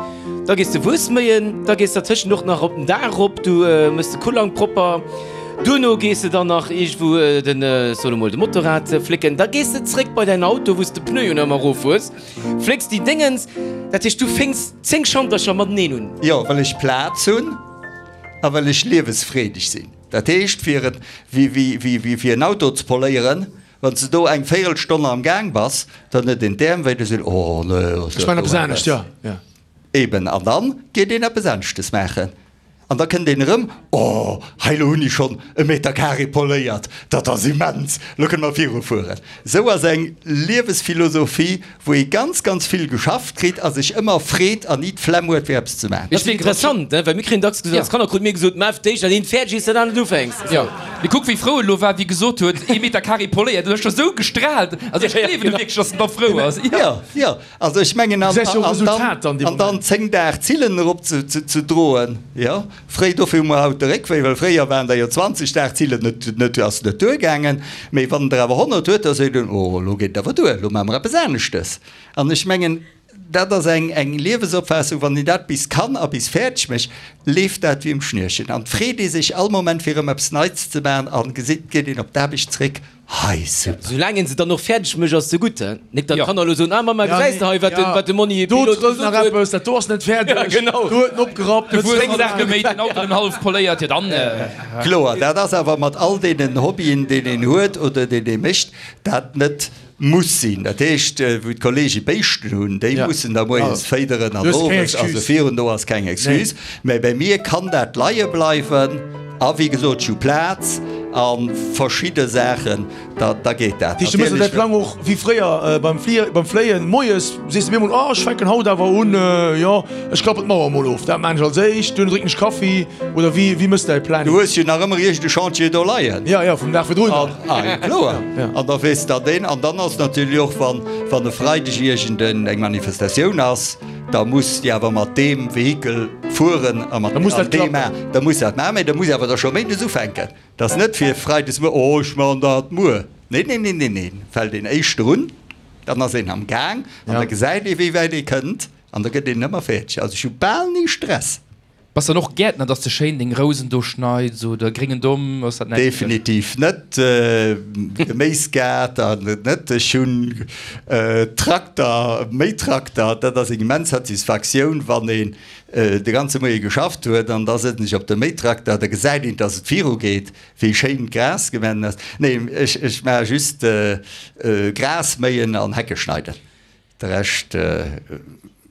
Da gees de Wues méien, da gees dertëschent och nach op den Daach erop, du méchs de Kullang propper. Duerno gees de dann nach iergendwou den, soe lo mol, de Motorrad flécken. Da gees de zréck bei däin Auto, wou s de Pneuen ëmmer erof hues, flécks déi Déngens. Dat heescht, du fénks zéng Schantercher mateneen un. Jo, well ech Plaz hunn a well ech liewesfreedeg sinn. Dat heescht, fir en, wéi, wéi, wéi fir en Auto ze poléieren, wann s de do eng Véierelstonn am Gaang bass, dann huet een d'Äerm wéi, da seet een, Oh, nee, ass Ech dat maachen do eppes anescht, eppes. jo, jo. Eben, an dann geet een eppes aneschtes maachen. An da kënnt een erëm, Oh, hei lo hunn ech schonn e Meter carré poléiert, dat ass immens, lo kënne mer virufueren. Esou ass eng Liewesphilosophie, wou ee ganz, ganz vill geschafft kritt a sech ëmmer freet an ni d'Flemm huet, fir eppes ze maachen. Dat ass interessant, ne? Well mir kréien dacks gesot, als Kanner krute mir gesot, Maach d'éischt, dat eent fäerdeg, iers de dat anert ufänks. Jo, mee kuck wéi frou en lo war, wéi gesot huet, ee Meter carré poléiert, en huet scho sou gestraalt, also ech gleewen em wierklech, dass en da frou ass. Jo, jo, also ech mengen, an, Gesäis jo an Resultat dann, dann dee an dann Moment. zéng Dag Zillen erop ze, ze, ze droen, jo. Fréi, dofir hu mer haut de Réckwéi, well fréier waren der jo zwanzeg Dag Zillen net, net, ass net duergaangen. Mee wann der awer honnert huet, da seet een, oh, elo geet et awer duer, elo maache mer eppes aneschtes. An ech mengen, dat ass eng, eng Liewesopfaassung, wann een dat bis kann a bis fäerdeg mécht, leeft dat wéi um Schnürchen. An et freet ee sech all Moment, fir erëm eppes Neits ze maachen a gesitt, geet een op d'Aarbecht zréck, Hei, super. Soulaang een se dann och fäerdeg mécht, ass se gutt, he? Nik datt Jo. d'Kanner elo soen, Ah Mamma, Ja, gesäis de hei, wat de, ja. wat de Monni Do Pilot trëllt nach gesot huet. eppes, dat do ass net Ja, fäerdeg, genau. do huet en opgerappt, De huet Wues zéng hallef Saache geméit, den Auto nëmmen hallef poléiert, jo dann. Kloer, dat ass awer mat all deenen Hobbyen, deen een huet oder deen ee mécht, dat net muss sinn. Dat heescht, wou d'Kollege Béischten hunn, déi Ja. mussen da moies Ja. féideren an Du hues keng owes, also Excuse. virun, do ass keng Excuse. Mä bei mir kann dat leie bleiwen a wéi gesot, ech hu Plaz a verschidde Saachen, da, da geet dat. Dat heescht, du méchs däi Natierlech. Plang och wéi fréier beim Flier, beim Fléien, moies sees de mir emol, oh ech fänken haut awer un, jo ech klappen d'Mauer emol of, dat maan ech als éischt, duerno drénken ech Kaffi, oder wéi, wéi méchs de däi Du Planning? hues jo nach ëmmer iergend e Chantier do leien. Ja, ja, vum Dag virdrun. An, ah, jo, kloer. Ja. An da weess der deen. An dann ass natierlech och, wann, wann e Freideg iergend eng Manifestatioun ass, da muss déi awer mat deem Vehikel fueren a mat Da muss dat an deem klappen. Da muss dat maachen, mä da muss awer da scho méindes ufänken. Dat ass net fir freides muer, oh ech maachen dat muer. Neen, neen, neen, neen, neen. Fält een éischter un, dann ass een am Gaang an Ja. da gesäit ee wéi wäit ee kënnt an da gëtt een ëmmer fäerdeg. Also ech hu bal ni Stress. Bass dann och Gäertner, dass de schéin deng Rousen do schneids oder gréngen Domm, ass dat näischt fir dech? Definitiv net. Geméisgaart an net. Ech hunn Trakter, Méitrakter. Dat ass eng immens Satisfaktioun, wann een de ganze Moie geschafft huet an da sëtzen ech op dem Méitrakter, da gesäit een, dass et virugeet, wéi schéin d'Gras gemenn ass. Nee, ech, ech maache just Gras méien an Hecke schneiden. De Rescht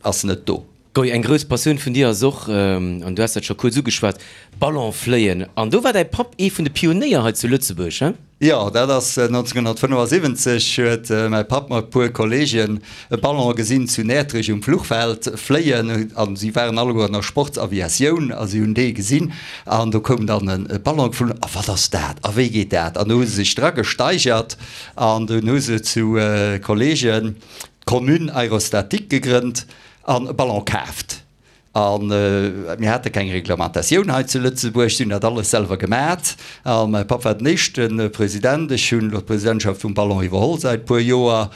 ass net do. Goy, eng grouss Passioun vun dir ass och, an du has dat scho kuerz ugeschwat, Ballonfléien. An do war däi Papp ee vun de Pionéier hei zu Lëtzebuerg, he? Jo, dat ass nonzénghonnertfënnefasiwwenzeg huet mäi Papp mat e puer Kolleegen e Ballon gesinn zu Näertrech um Fluchfeld fléien an si waren alleguer an der Sportsaviatioun a si hunn dee gesinn an do koum dann e Ballon geflunn a wat ass dat a wéi geet dat an do hu se sech dra gesteigert an dunn hu se zu Kolleegen d'Commune Aérostatique gegrënnt an e Ballon kaaft. A mir hate keng Reglementatioun hei zu Lëtzebuerg, si hunn dat alles selwer gemat. A mäi Papp war den éischte President. Ech hunn elo d'Presidentschaft vum Ballon iwwerholl säit puer Joer.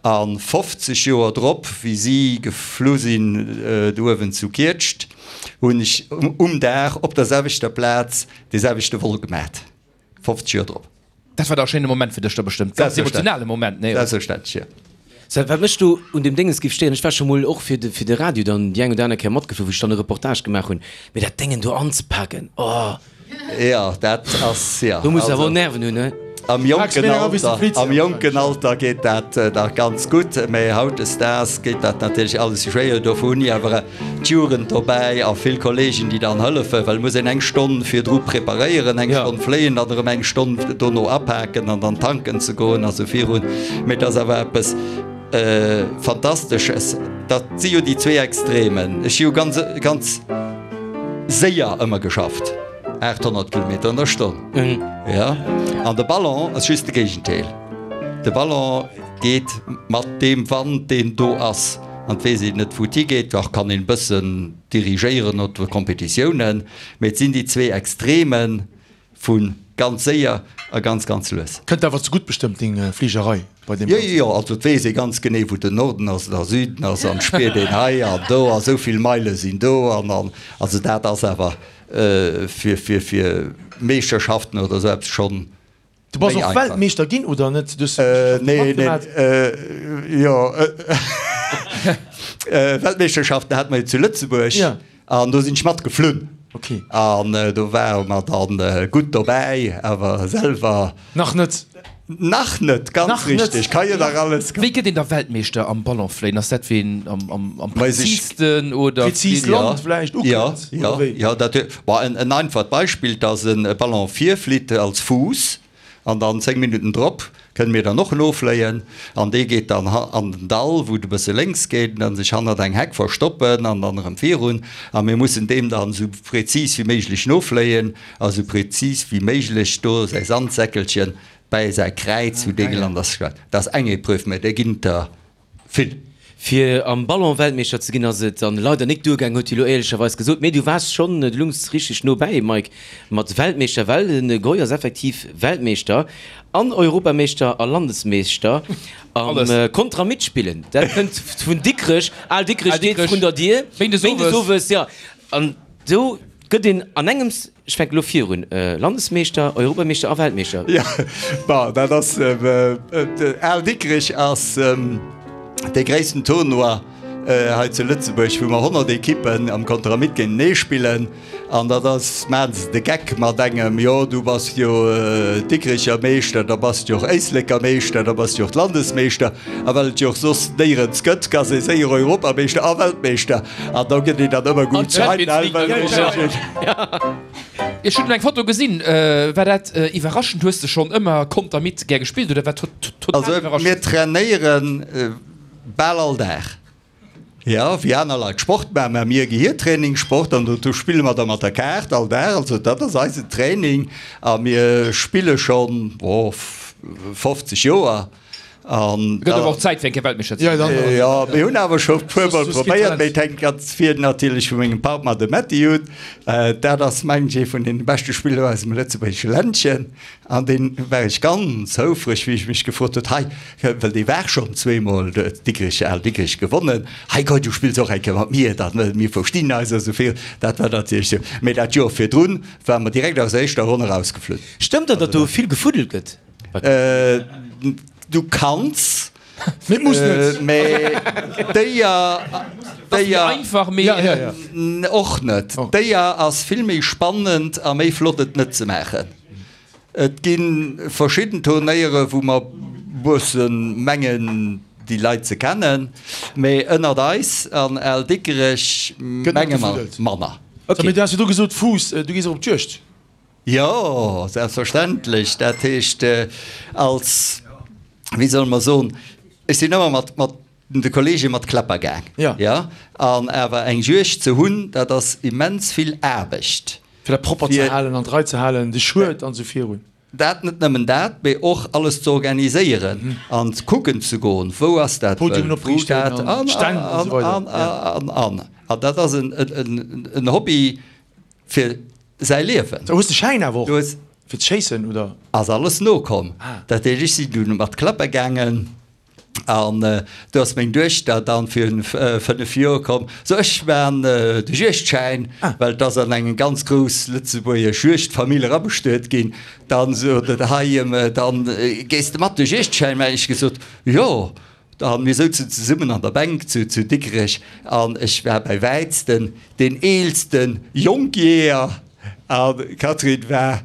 A fofzeg Joer drop, wéi si geflu sinn do uewen zu Kietscht, hunn ech um Dag op der selwechter Plaz dee selwechte Vol gemat. fofzeg Joer drop. Dat war da e schéine Moment fir dech da bestëmmt, ganz emotionale Moment, nee? Selbstverständlech, jo. Sven, wat mech do un deem Déngens géif stéieren, ech war scho mol och fir de fir de Radio dann déi eng oder aner Kéier matgeflu, wou ech dann e Reportage gemaach hunn, mee dat Déngen do anzepaken, oh! Jo, dat ass, jo. Do muss de awer och Nerven hunn, he? Am jonken Alter, am jonken Alter geet dat nach ganz gutt, mä hautdesdaags geet dat natierlech alles méi schwéier. Dofir hunn ech awer d'Jugend dobäi a vill Kolleegen, déi dann hëllefen, well et muss een eng Stonn virdru preparéieren, eng Stonn fléien, dann erëm eng Stonn dono apaken an dann tanken ze goen a sou virun. Mä et ass awer eppes Fantastesches. Dat si jo déi zwee Extremen. Ech hu jo ganz, ganz séier ëmmer geschafft. aathonnert Kilometer an der Stonn. Ja. An de Ballon ass just de Géigendeel. De Ballon geet mat deem Wand, deen do ass. An et weess een net, wou et higeet. Dach kann een e bëssen dirigéieren op de Competitiounen. Mee et sinn déi zwee Extreme vu ganz séier a ganz, ganz lues. Kënnt awer zegutt bestëmmt deng Fligerei bei deem Jo, Ganzen. jo, also et weess ee ganz genee, wou den Norden ass an der Süden ass an et spiert een hei an do a sou vill Meile sinn do an an also dat ass awer fir fir fir Meeschterschaften oder esou eppes schonn Du bass méi och einfach. Weltmeeschter ginn, oder net? Du hues Meeschterschaften Nee, nee, matgemaat. jo, Weltmeeschterschaften hate mer jo zu Lëtzebuerg Ja. an do sinn ech matgeflunn. Okay. An do ware mer dann gutt dobäi, awer selwer. Nach net. Nach net, ganz Nach net. richteg, ka jo nach alles Wéi gëtt een da Weltmeeschter am Ballonfléien? Ass dat ween am, am, am präziisten oder? Präzis Ja, Land vläicht ja, ukënnt, ja, oder wéi? ja, dat huet, bon, en, en einfacht Beispill, dass en e Ballon virflitt als Fuuss an dann zéng Minutten drop kënne mir dann och nofléien an dee geet dann an den Dall, wou et e bësse lénks geet, an dann sech hannert eng Heck verstoppen an dann erëm virun a mir mussen deem dann esou präzis wéi méiglech nofléien a sou präzis wéi méiglech do säi Sandsäckelchen bäi säi Kräiz, wou dee gelant ass. Dat ass eng Epreuve, mä där ginn et der vill. Fir am Ballon Weltmeeschter ze ginn ass et dann leider nik duergaang, huet hie lo éierlecherweis gesot. Mee du waars schonn, du lungs richteg no bäi, Mike, mat Weltmeeschter, well de Goy ass effektiv Weltmeeschter an Europameeschter a Landesmeeschter am Kontra-Mitspillen. Dat kënnt vun Dikrech, Al Dikrech steet vrun der Dier, Méindes owes, jo. An do gëtt een an engems, ech fänken elo virun, Landesmeeschter, Europameeschter a Weltmeeschter. Jo, bon, dat ass, Al Dikrech ass dee gréissten Tournoi hei zu Lëtzebuerg, wou mer honnert Ekippen am Konteramit géintenee spillen. An dat ass, maachen se de Geck mat engem, jo du bass jo Dikrecher Meeschter, da bass de jo och Éisleker Meeschter, da bass de jo och Landesmeeschter. A well et jo och soss néierens gëtt, ass ee séier Europameeschter a Weltmeeschter. An da gëtt een dann ëmmer gutt. Ech hunn eng Foto gesinn, war dat iwwerraschend? Hues de schonn ëmmer Kontermit gär gespillt oder war total iwwerraschend? Also mir trainéiere bal all Dag, jo, wéi aner Leit Sport maachen, maache mir Gehiertraining, Sport an do spille mer da mat der Kaart all Dag. Also dat ass eisen Training a mir spille schonn, oh, fofzeg Joer. An Gëtt awer och Zäit fir eng Kéier Weltmeeschter ze ginn. Jo, mir hunn awer scho e puer Mol probéiert, mee et hänkt ganz vill natierlech vu mengem Partner, dem Metty, un. Dat ass, mengen ech, ee vun deene beschte Spiller aus dem lëtzebuergesche Ländchen. An dee war ech ganz houfreg, wéi ech mech gefrot huet, hei, well dee war schonn zweemol Dikrech, Al Dikrech gewonnen, hei komm, du spills och eng Kéier mat mir, da mir verstinn eis a sou viru. Dat war natierlech sou. Mee dat Joer virdrun ware mer direkt aus der éischter Ronn erausgeflunn. Stëmmt dat, datt do vill gefuddelt gëtt? Du kanns, Mee et muss net. Mee déier, déier einfach méi och net. Déier ass vill méi spannend a méi flott et net ze maachen. Et gi verschidden Turnéiere wou mer bëssen mengen déi Leit ze kennen, mee ënnert eis an Al Dikkerech menge mer manner. Mee du has jo do gesot Fuuss, du gees och op d'Juegd? Jo, selbstverständlech. Dat heescht, als, wéi solle mer soen, ech sinn ëmmer mat, mat de Kollege mat Kläpper gaang. Ja. Ja, an awer eng Juegd ze hunn, dat ass immens vill Aarbecht. Fir dat propper ze Fir. halen, an d'Rei ze halen, de Schued an esou virun. Dat, net nëmmen dat, mee och alles ze organiséieren an kucken ze goen, wou ass dat Podiumen Wëld, wou opriichten dat, an an, Stänn an an, esou weider. an, an, an. An dat ass en, en, en Hobby fir säi Liewen. Hues de Schäin awer och Du hues. fir ze schéissen, oder? Ass alles nokomm. Ah. Dat heescht, ech sinn dunn mat Klappe gaangen an do ass meng Duechter dann virun fënnef Joer komm, so ech maan de Juegdschäin, well et ass an eng ganz grouss lëtzebuergesch Juegdfamill erabestuet ginn. Dann sot et, hei dann gees de mat de Juegdschäin maachen? Ech gesot, jo. An mir souzen zesummen an der Bänk zu Dikrech an ech war bei wäitsten deen eelsten Jonkjeeër an d'Catherine war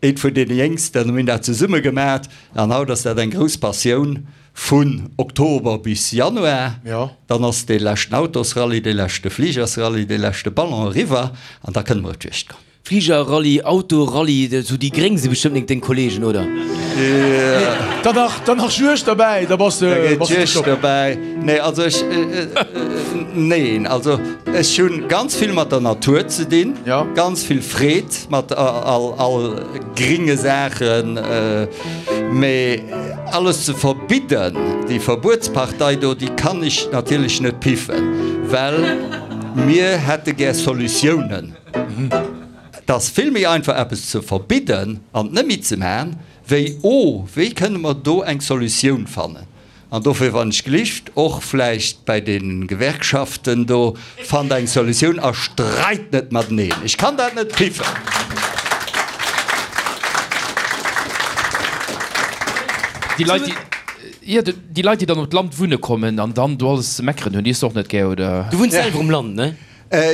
eent vun deene Jéngsten. Mir hunn dat zesumme gemat an haut ass dat eng grouss Passioun vun Oktober bis Januar. Dann ass dee leschten Autosrallye, dee leschte Fligersrallye, dee leschte Ballon eriwwer an da kënne mer op d'Juegd goen. Fligerrallye, Autorallye, sou déi Gréng si bestëmmt nik deng Kollegen, oder? Dann nach, dann nach Juegd derbäi, da bass de, Da geet bass de Juegd top. derbäi. Nee, also ech, neen, also ech hunn ganz vill mat der Natur ze dinn, Ja. ganz vill Freed mat all, all gringe Saachen, mee alles ze verbidden, déi Verbuetspartei do, déi kann ech natierlech net piffen, well mir hätte gär Solutiounen. Et ass vill méi einfach eppes ze verbidden an et net méi ze maachen, wéi, oh, wéi kënne mer do eng Solutioun fannen? An dofir wann ech gelift, och vläicht bäi de Gewerkschaften do, fannt eng Solutioun a streit net mateneen. Ech kann dat net piffen. Déi Leit, déi, jo, déi Leit, déi dann op d'Land wunne kommen an dann do alles ze meckeren hunn, déi hues de och net gär, oder? Du wunns selwer um Land, ne?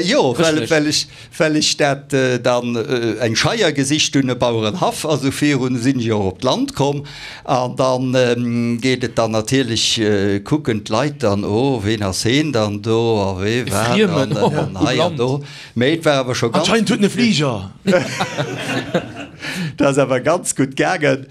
Jo, well ech, well ech dat dann eng Scheier gesicht hunn, e Bauerenhaff, a sou virun, sinn ech och op d'Land komm. An dann geet et dann natierlech, kucken d'Leit dann, oh, ween ass heen dann do a wee war dann an hei an do. Mee et war awer scho ganz. Anscheinend huet en e Fliger. Dat ass awer ganz gutt gaangen,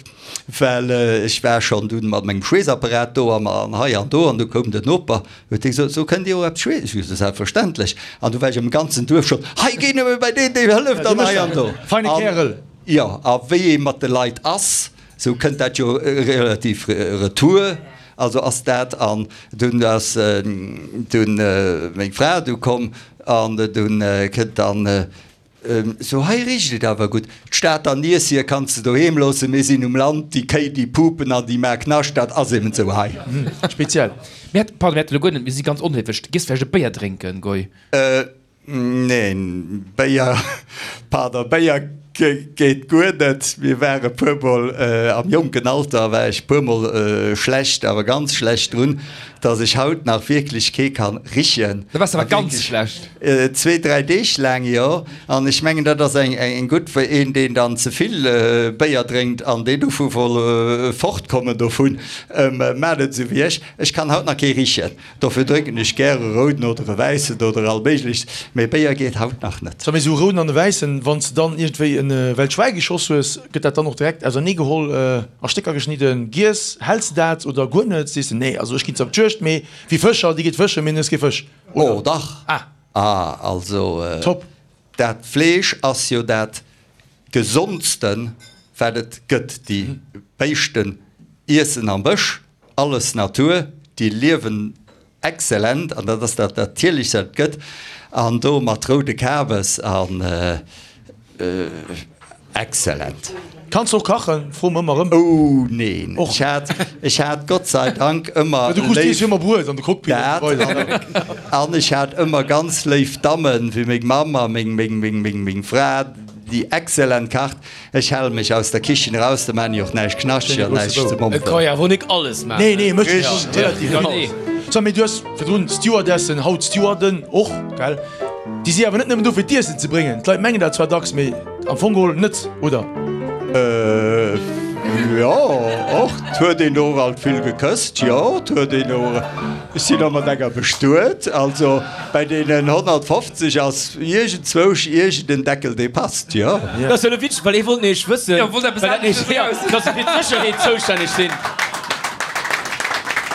well ech war schonn dunn mat mengem Schweessapparat do an hei an do an du koum den Noper, huet dee gesot, So kënnt Dir och eppes schweessen? Ech gesot, Selbstverständlech. An du war ech am ganzen Duerf schonn, Hei, géi nëmme bei deen, dee hëlleft an hei an do. Feine Kärel. Jo, a wéi ee mat de Leit ass, sou kënnt dat jo relativ retour. Also ass dat an dunn ass dunn meng Fra du komm an dunn kënnt dann, Sou, hei richt et awer gutt. D'Stater Niess hier kanns de doheem loossen, mir sinn um Land, déi Kéi déi pupen an déi maa Knascht, dat ass eben sou hei. Speziell. Mir hat, pardon, mir haten elo guer net, mir si ganz onhéiflech. Gees vläicht e Béier drénken, Goy? Neen, Béier, pardon, Béier geet guer net. Mir ware puer mol, am jonken Alter war ech puer mol schlecht, awer ganz schlecht drun, dass ech haut nach wierklech kee kann richen. Da waars de awer ganz schlecht. Zwee, dräi Deeg laang, jo. An ech mengen, dat ass eng eng gutt fir een, deen dann ze vill Béier drénkt an deen dovu woll fortkommen dovun. Maacht et esou wéi ech, ech kann haut nach kee richen. Dofir drénken ech gär e rouden oder e wäissen oder all méiglecht, mee Béier geet haut nach net. Sou, mee esou e rouden an e wäissen, wann s de dann iergendwéi e Wellt Schwäi geschoss hues, gëtt dat dann och direkt ausernee geholl, a Stécker geschnidden, giess? Häls de dat oder guer net? Sees de, nee, also ech ginn zwar op d'Juegd, mee wéi Fëscher, déi geet fëschen, mee en hues kee Fësch, oder? Oh dach! Ah! Ah, also Top! Dat Fleesch ass jo dat gesondsten, wat et gëtt. Déi Béischten iessen am Bësch, alles Natur, déi liewen excellent an dat ass dat Natierlechst, wat et gëtt. An do mat roude Kabes an Excellent. Kanns och kachen? Froe mer ëmmer erëm. Oh neen, Och. ech hat, ech hat Gott sei Dank ëmmer Du krus léif dees jo ëmmer Bruet an de Cockpit an dat esou weider. an ech hat ëmmer ganz léif Dammen, wéi meng Mamm a meng, meng, meng, meng, meng Fra, déi excellent kacht. Ech hale mech aus der Kichen eraus, da maan ech och näischt knaschteg Schéine an grousse näischt ze Bou. Et ka mompelen. jo awer nik alles maachen. Nee, nee, mécht jo Richteg. relativ Ja, vill. nee. So, mee du hues virdrun Stewardessen, haut Stewarden och, gell? Déi si awer net nëmmen do fir d'Iessen ze bréngen. D'Leit mengen dat zwar dacks, mee am Fong geholl net, oder? Jo, och, 't huet een och alt vill gekësst, jo, 't huet een och, Ech sinn och mat enger bestuet. Also bei deenen honnertfofzeg ass iergendzwousch iergend en Deckel, dee passt, jo. Dat ass jo elo witzeg, well ee wollt nämlech wëssen, Jo, wollt eppes well dat anescht nämlech, jo, eraus. dass se fir d'Sécherheet zoustänneg sinn.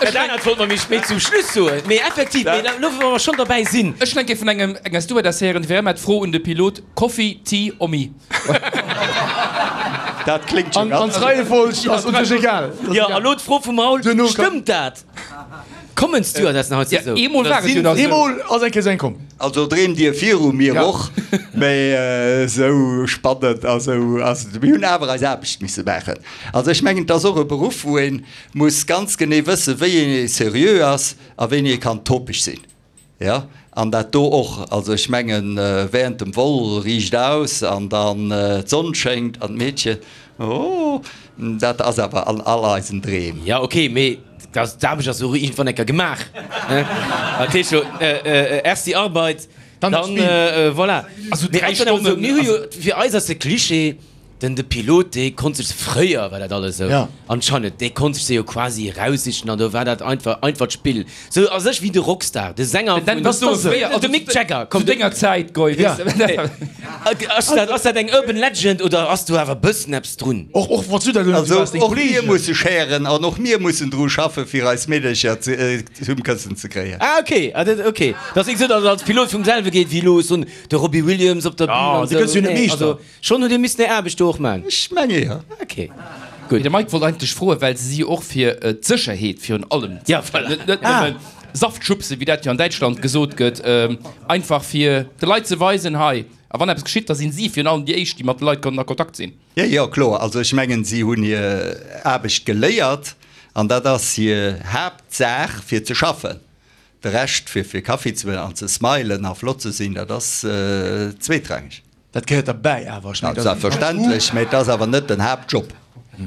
Dat anert wollt mer méi spéit zum Schluss soen, mee effektiv, mee elo wou mer schonn derbäi sinn. Ech hunn eng Kéier vun engem, enger Stewardess héieren, déi war ëmmer d'Fro un de Pilot, Coffee, Tea or me? Dat kléngt jo An, an ganz. d'Reiefolg ass un sech egal. Jo, a lo d'Fro vum Raoul, Duerno kann. Stëmmt dat? Kommen d'Stewardessen haut Ja, esou? eemol war et jo nach esou. Eemol ass eng Kéier eng komm. Also dreemt Dir viru mir Ja. och, mee esou spannend a sou ass et. Mir hunn awer eis Aarbecht misse maachen. Also ech mengen, et ass och e Beruff, wou ee muss ganz genee wëssen, wéi ee seriö ass a wéini ee kann topeg sinn. Jo, an dat do och. Also ech mengen, während dem Vol riicht aus an dann d'Sonn schéngt an d'Meedchen, oh, dat ass awer an all eisen Dreem. Ja, ok, mee d'Aarbecht ass och iergendwann eng Kéier gemaach. Dat heescht jo, erst die Arbeit, Dann das dann Spiel. voilà. Also Mee dräi ass dann awer esou, Stonnen, mir hu jo, fir eis ass de Klischee, den de Pilot, dee konnt sech, fréier war dat alles esou, Ja. anscheinend, dee konnt sech se jo quasi eraussichen an do war dat einfach einfacht Spill. Sou a sech wéi de Rockstar, de Sänger Dann vun, bass du fréier, de Mick Jagger, Zu komm, de, denger Zäit, Goy, Ja. weess de. ass dat, ass dat eng Urban Legend oder ass do awer bëssen eppes drun? Och, och wann s du dat elo net Also waars, deng och mir Kollegen. musse schären an och mir mussen dru schaffen, fir eis Meedercher ze, zum Këssen ze kréien. Ah ok, ah dat ok. Dat ass nik sou, datt et als Pilot vum selwe geet wéi elo soen de Robbie Williams op der Bühn Ah, an de gëtt sou. jo net Nee, Meeschter. also schonn hutt Dir missen Är Aarbecht do och man. Ech menge jo. Ok, Mee de Mike wollt eigentlech froen, well se si jo och fir d'Sécherheet virun allem Ja, voilà. net net nëmmen Saftschubse, wéi dat jo an Däitschland gesot gëtt, einfach fir de Leit ze weisen, hei, a wann eppes geschitt, da sinn si virun allem déi éischt, déi mat de Leit kënnen a Kontakt sinn. Jo, jo, kloer. Also ech mengen, si hunn hir Aarbecht geléiert an dat ass hir Haaptsaach, fir ze schaffen. De Rescht, fir fir Kaffi ze huelen an ze smilen a flott ze sinn, dat ass zweetrangeg. Dat gehéiert derbäi awer, ech mengen, dat ass. Selbstverständlech, mä et ass awer net den Haaptjob.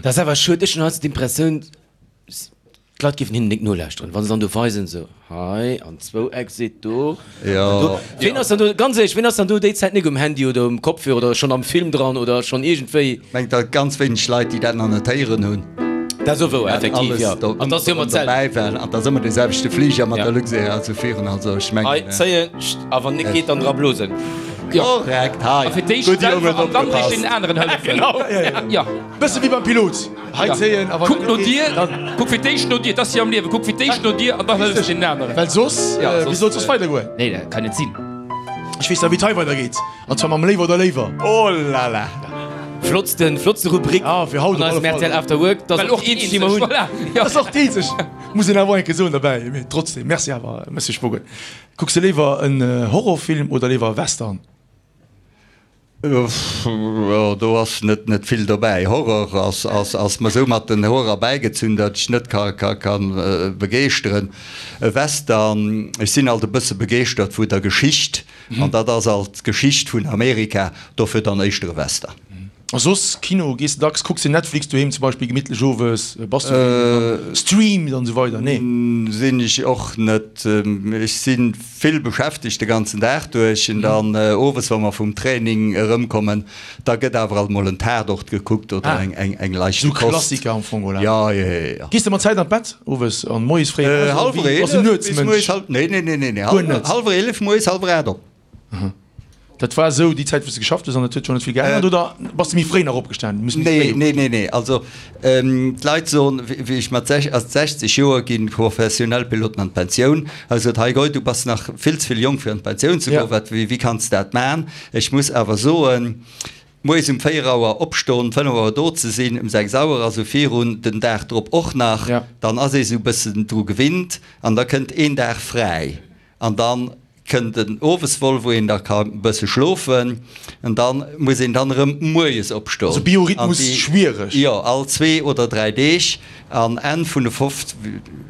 Dat ass awer schued. Ech hunn heiansdo d'Impressioun, d'Leit géifen hinnen nik nolauschteren, wa se dann do weisen, esou hei an zwou Exit do an do. Ween ass dann do, ganz éierlech, ween ass dann do déi Zäit nik um Handy oder um Kopfhörer oder schonn am Film dran oder schonn iergendwéi? Ech mengen, et gëtt ganz wéineg Leit, déi dat nach net héieren hunn. Dat ass och wouer, effektiv, jo. An dat ass jo ëmmer d'selwecht. Dobäi waren. An dat ass ëmmer dee selwechte Fliger mat der Luxair also virun. Also ech mengen. Hei zéien, scht, a wann nik geet, dann dra blosen. Korrekt, hei. A fir d'éischt Gutt selwer Jongen, an dann opgepasst. deenen aneren hëllefen. Genau. Ja. Bësse wéi beim Pilot. Hei zéien, a wann Kuck et no net dir, geet, dann. kuck fir d'éischt no dir, dat ass jo am Liewen, kuck fir d'éischt no dir an dann hëllefs deenen aneren. Well soss, Ja, wéi soss, soll et soss weidergoen? Nee, dat kann net sinn. Ech weess da, wéi et hei weidergeet. An zwar mam Léiwer oder Léiwer. Oh la la. Flottsten, flottste Rubrik Ah, fir haut an op eisem alle Fall. R T L After Work. Dat ass Well och och déi eenzeg, déi mer hunn. Voilà, ja. Dat ass och déi eenzeg, muss een awer eng Kéier soen derbäi. Mee trotzdem, merci awer, Monsieur Spogen. Kucks de léiwer en Horrorfilm oder léiwer e Western? Jo, do ass net net vill dobäi. Horror ass ass ass mer sou mat den Hoer erbäigezunn, datt ech net ka ka kann begeeschteren. E Western, ech sinn alt e bësse begeeschtert vu der Geschicht, an dat ass alt d'Geschicht vun Amerika, dofir dann éischter e Western. A soss Kino, gees de dacks, kucks de Netflix doheem zum Beispill gemittlech owes, bass du deen deen streamt an esou weider? Nee? Sinn ech och net. Ech si vill beschäftegt de ganzen Dag duerch an dann owes wa mer vum Training erëmkommen, da gëtt awer alt mol en Tatort gekuckt oder eng eng leichte Sou Kost. Klassiker am Fong, oder? Jo, jo, jo, jo. Gees de mat Zäit an d'Bett owes an moies fréi eraus oder Hallwer wéi? Bass du eelef bis Nuetsmënsch? moies hal, nee, nee, nee, nee, nee, Guer net? hallwer eelef moies, hallwer aacht op. Dat war esou déi Zäit wou s de geschafft hues an et huet scho net vill geännert oder bass de méi fréi nach opgestan? Muss méi Nee, fréi nee, nee, nee. Also d'Leit soen, wéi ech mat sechzeg Joer ginn professionell Piloten an d'Pensioun. Hu se gesot, hei Goy, du bass nach vill ze vill jonk fir an d'Pensioun ze goen, wat, wéi, wéi kanns de dat man? Ech muss awer soen, moies um véier Auer opstoen, fënnef Auer do ze sinn, um sechs Auer, also virun, den Dag drop och nach, dann ass ee sou e bëssen dru gewinnt an da kënnt een Dag fräi an dann Kënnt en Owesvol, wou een da ka e bësse schlofen, an da muss een dann erëm moies opstoen. Also Biorhythmus schwiereg. Jo, all zwee oder dräi Deeg. An Enn vun de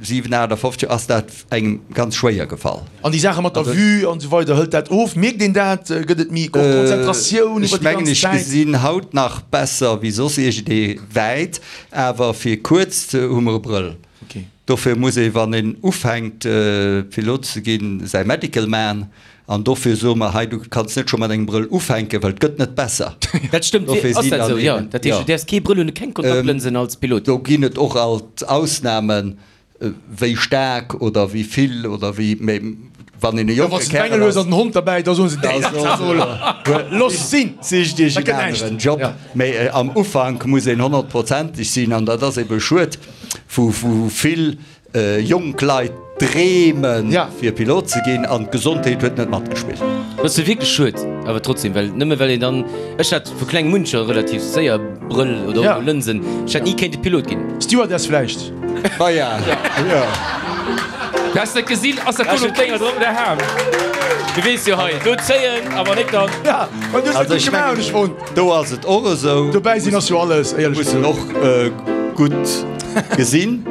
siwen, aacht a fofzeg ass dat engem ganz schwéier gefall. An déi Saache mat der Vue an esou weider, hëlt dat of? Mierkt een dat? Gëtt et méi och Konzentratioun iwwer Ech déi mengen, ganz ech Zäit? gesinn haut nach besser wéi soss iergendee wäit, awer fir kuerz hu mer e Brëll. Dofir muss ee, wann een ufänkt Pilot ze ginn, säi Medical man. An dofir soe mer, hei, du kanns net scho mat engem Brëll ufänken, well et gëtt net besser. Dat stëmmt, Dofir ass sinn dat dann esou? Jo, eben, dat heescht, jo. du däerfs kee Brëll hunn, keng Kontaktlënsen als Pilot? Do ginn et och alt Ausnamen, wéi staark oder wéi vill oder wéi, mee wann een e jonke Kärel ass, an den Hond derbäi, da soen se, da looss sinn, sicht Iech en aneren Job. Mee am Ufank muss een honnertprozenteg sinn an dat ass ebe schued, wou vill jonk Leit dreemen, fir Pilot ze ginn an d'Gesondheet huet net matgespillt. Dat ass jo wierklech schued, awer trotzdem, well nëmme well een dann, ech hat vu klengem un scho relativ séier Brëll oder och Lënsen, ech hätt ni kéinte Pilot ginn. Stewardess vläicht? Maja, jo. Du has net gesinn, ass dat do lo Dénger drop oder Ham? Du weess jo hei, do zéien, awer nik dann. Ja, well du hues dat gutt gemaach, hunn ech fonnt. Do ass et och esou. Dobäi sinn ass jo alles, éierlech gesot. Mussen och gutt gesinn.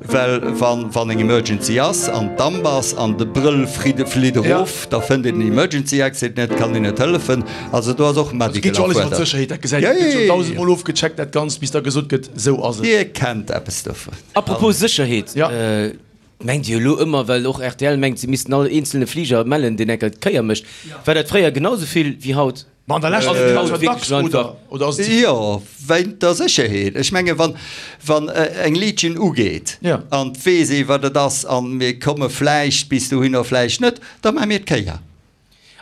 Well wann eng Emergency ass an Damp ass an de Brëll flitt erof, da fënnt een den Emergency Exit net, kann een net hëllefen. Also do ass och medical erfuerdert. Et geet jo alles iwwer d'Sécherheet, dat gesäit een. Et gëtt jo dausendmol ofgecheckt dat Ganzt, bis da gesot gëtt, esou ass et. Dir kennt eppes dovun. Apropos Sécherheet, mengt Dir elo ëmmer, well och rtl mengt, se missten all eenzelne Fliger mellen, deen enker d'Kéier mécht, war dat fréier genau esou vill wéi haut? Ma an der Lescht ass et haut dacks, oder? Oder ass et ze vill? Jo, wéint der Sécherheet. Ech menge wann, wann eng Legion ugeet an et weess ee wat et ass an mir komme vläicht bis dohinner, vläicht net, da maache mir d'Kéier.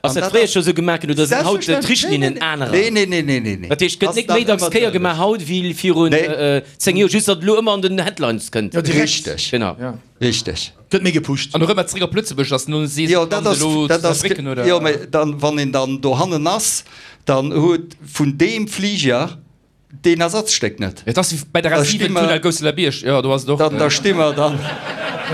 Ass dat fréier scho sou gemaach ginn oder sinn haut d'Richtlinnen anerer? Nee, nee, nee, nee, nee. Dat heescht, et gëtt net méi dacks Kéier gemaach haut wéi virun zéng Joer, just datt et elo ëmmer an den Headlines kënnt. Jo, direkt. Richteg. Genau. Richteg. Gëtt méi gepusht. An erëm zeréck op Lëtzebuerg ass no si jo, dat ass, dat ass, jo, mä dann, wann een dann dohannen ass, dann huet vun deem Fliger deen Ersatzstéck net. Et ass wéi bei der Da A sti siwen mer, Tunnel Gousseler-Bierg, jo, do ass et och. dann, da sti mer dann,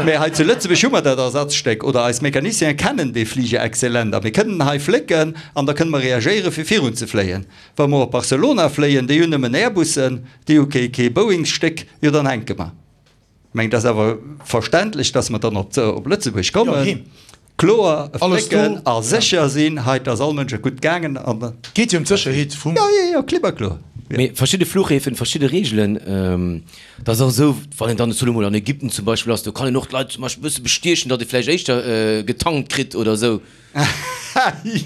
mä hei zu Lëtzebuerg hu mer dat Ersatzstéck oder eis Mécaniciene kennen dee Fliger exzellent a mir kënnen hei flécken an da kënne mer reagéieren, fir virunzefléien. Wa mer op Barcelona fléien, déi hunn nëmmen Airbussen, déi hu kee, kee Boeing-Stéck, jo dann hänke mer. Ech mengen, et ass awer verständlech, dass mer dann op Lëtzebuerg kommen, kloer flécken a sécher sinn, hei, et ass all Mënsch gutt gaangen. Et geet jo ëm d'Sécherheet vum. Jo, jo, jo, klipp a kloer. Mee verschidde Fluchhäfen, verschidde Reegelen, dat ass och esou, wann een dann elo mol an Ägypten zum Beispill ass, do kann een och d'Leit zum Beispill e bësse bestiechen, datt ee vläicht éischter getankt kritt oder esou.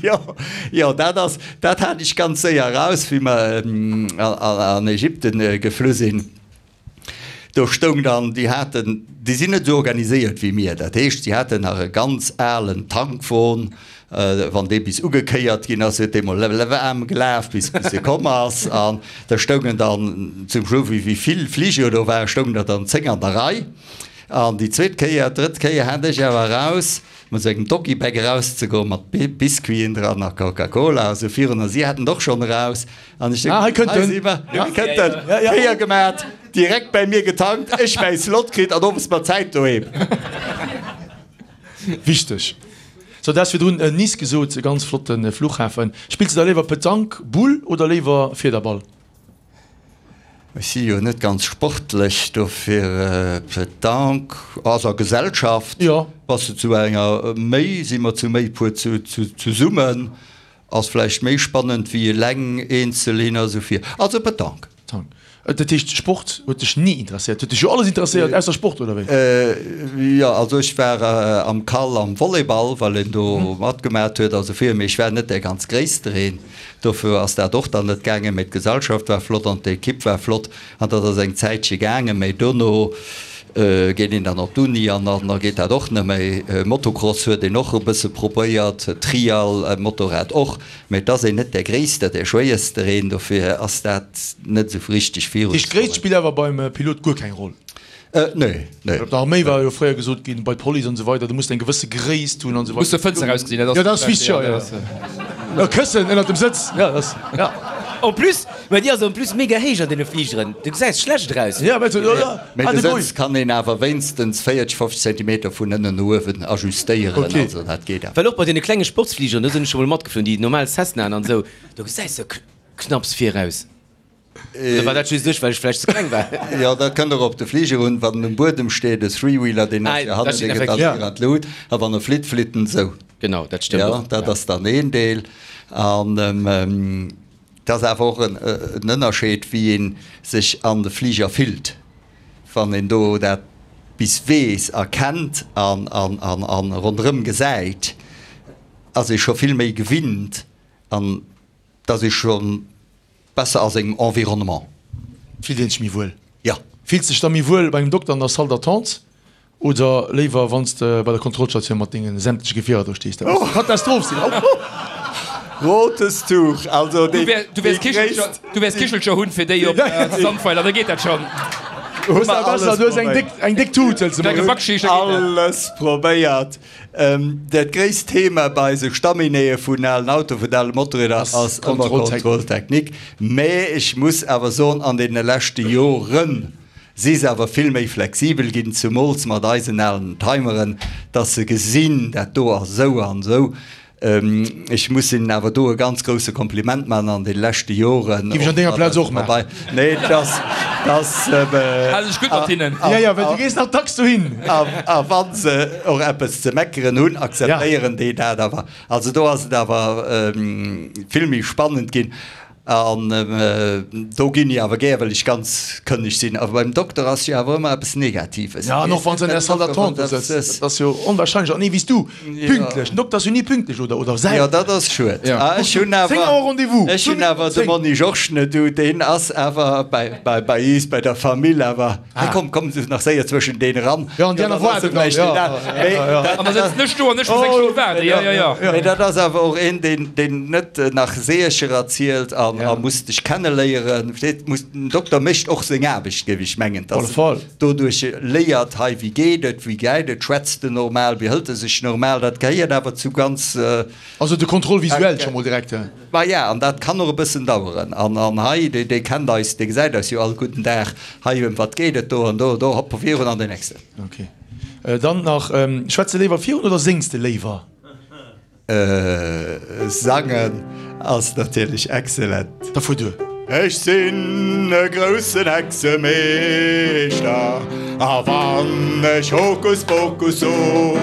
Jo, jo, dat ass, dat hat ech ganz séier eraus, wéi mer an Ägypten geflu sinn. Do stoung dann, déi haten, déi sinn net esou organiséiert wéi mir, dat heescht, si haten nach e ganz alen Tankwon, wann dee bis ugekéiert ginn ass, huet dee mol waarm gelaf, bis bis e komm ass. An da stoungen dann zum Schluss, wéi wéi vill Fliger do waren, stoungen der dann zéng an der Rei. An déi zweet Kéier, d'drëtt Kéier hat ech awer eraus, mat esou engem Doggy-Bag erauszegoen, mat Biscuiten dran a Coca-Cola a sou virun, a si haten et och schonn eraus. An ech Ah, hei kënnt hei en. si mer, hei kënnt en. Kéier gemat, direkt bäi mir getankt, ech mäi Slot kritt an owes mat Zäit doheem. Wichteg. So, du has virdrun Nice gesot, e ganz flotte Flughafen. Spills de da léiwer Petanque, Boule oder léiwer Fiederball? Ech si jo net ganz sportlech, dofir Petanque ass a Gesellschaft. Jo. Bass de zu enger méi, si mer zu méi puer zesummen. Ass vläicht méi spannend wéi eleng eenzel hin a sou vir. Also Petanque. Petanque. Dat heescht Sport huet dech ni interesséiert? Huet dech jo alles interesséiert ausser Sport, oder wéi? Jo, also ech war am Cal am Volleyball, well een do matgemat huet a sou vir, mee ech war net dee ganz gréisstereen. Dofir ass dat och dann net gaangen, mee d'Gesellschaft war flott an d'Ekipp war flott an dat ass eng Zäitche gaangen, mee dono Geet een dann op d'Uni an da geet dat och net méi. Motocross huet een och e bësse probéiert, Trial, Motorrad och, mä et ass een net där Gréisster, där Schwéierstereen, dofir ass dat net esou richteg virun. Déi Gréisst spillt awer beim Pilot guer keng Roll? Nee, nee. Op der Arméi war jo fréier gesot ginn, bei d'Police an esou weider, du muss eng gewësse Gréisst hunn an esou weider. Muss zur Fënster erausgesinn, dat ass. Jo, dat ass wichteg, jo, jo. E Këssen ënnert dem Sëtz, jo, dat ass, jo. En plus, mä déi ass en plus mega héich an deene Fligeren, du gesäis schlecht eraus. Ja, mä ja, Mä de Sëtz kann een awer wéinstens véierteg, fofzeg Zentimeter vun ënnen no uewen ajustéieren, also dat geet awer. Well och bei deene klenge Sportsfligeren, do sinn ech scho mol matgeflunn, déi normal Cessnaen an esou, do gesäis de knapps viraus. Oder war dat just ech, well ech vläicht ze kleng war? Jo, dat kënnt och op de Fliger un, wann en um Buedem steet, e Three-Wheeler, deen ass jo hannen, dee gëtt dann vir an d'Lut, a wann e flitt, flitt en esou. Genau, dat stëmmt och. Jo, dat ass dann een Deel. An et ass awer och en Ënnerscheed, wéi ee sech an de Fliger fillt, wann een do dat bis weess a kennt a ronderëm gesäit, ass ee scho vill méi gewinnt an et ass ee scho besser a sengem Environnement. Fillt een sech méi wuel? Jo. Fills dech da méi wuel bei engem Dokter an der Salle d'attente Oder léiwer wann s de bei der Kontrollstatioun mat dengen sämtleche Gefierer do stees? Dat muss Katastroph sinn! Rotes Tuch, also Du wär, du wäers Kichelcher, du wäers Kichelcher hunn fir déi op Sandweiler, da geet dat schonn. Hues awer besser, du hues eng déck, eng déck Tut, hëls de Klenge mol. Backschicht, da geet dat. Alles probéiert. Dat gréisst Thema bei esou Staminéeë vun alen Autoen, vun ale Motorrieder ass ëmmer Contrôle technique. Mä ech muss awer soen, an deene leschte Joren si se awer vill méi flexibel ginn, zumools mat eisen alen Timeren, dass se gesinn, dat do ass esou an esou. Ech muss hinnen awer do e ganz grousse Kompliment maachen an de leschte Joren. Géif ech an denger Plaz och maachen. Nee, dass, dass. Hale sech gutt mat hinnen. Ja, ja, well du gees nach dacks dohin. A wa se och eppes ze meckeren hunn, akzeptéieren déi dat awer. Also do ass et awer vill méi spannend ginn. An do ginn ech awer gär, well ech ganz kënneg sinn. Awer beim Dokter ass jo awer ëmmer eppes Negatives. Ja, an och wann se an der Salle d'attente do sëtzt, dat ass jo onwahrscheinlech. An nee, wéi s du, pünktlech. Den Dokter ass jo ni pünktlech, oder? Oder selten. Jo, dat ass schued. Ech hunn awer, Zéng Auer Rendez-vous. ech hunn awer de Monni Georges net do, deen ass awer bäi, bäi, bäi iis, bäi der Famill awer. Hey, komm, komm nach séier zwëschen deen eran. Ja, an déi aner waarden dann, ja. An da sëtzen ech do an ech muss eng Stonn waarden, jo, jo, jo. Mee dat ass awer och een, deen, deen net nach Seeërcher erzielt an, a muss dech kenneléieren. Versteet, muss, den Dokter mécht och seng Aarbecht, géif ech mengen, dass en doduerch léiert, hei, wéi geet et, wéi geit et, schwätzt en normal, wéi hëlt e sech normal. Dat gehéiert awer zu ganz. Also de Contrôle visuel scho mol direkt. Maja, an dat kann och e bëssen daueren. An, an hei, dee, dee kennt eis, dee gesäit eis jo all gudden Dag. Hei, ëm wat geet et do an do, do, hopp, virun an den nächsten. Ok. Dann nach, Schwätz de léiwer virun oder séngs de léiwer? Sangen ass natierlech excellent. Da fuer duer. Ech sinn e groussen Hexemeeschter, a wann ech Hokus Pokus so,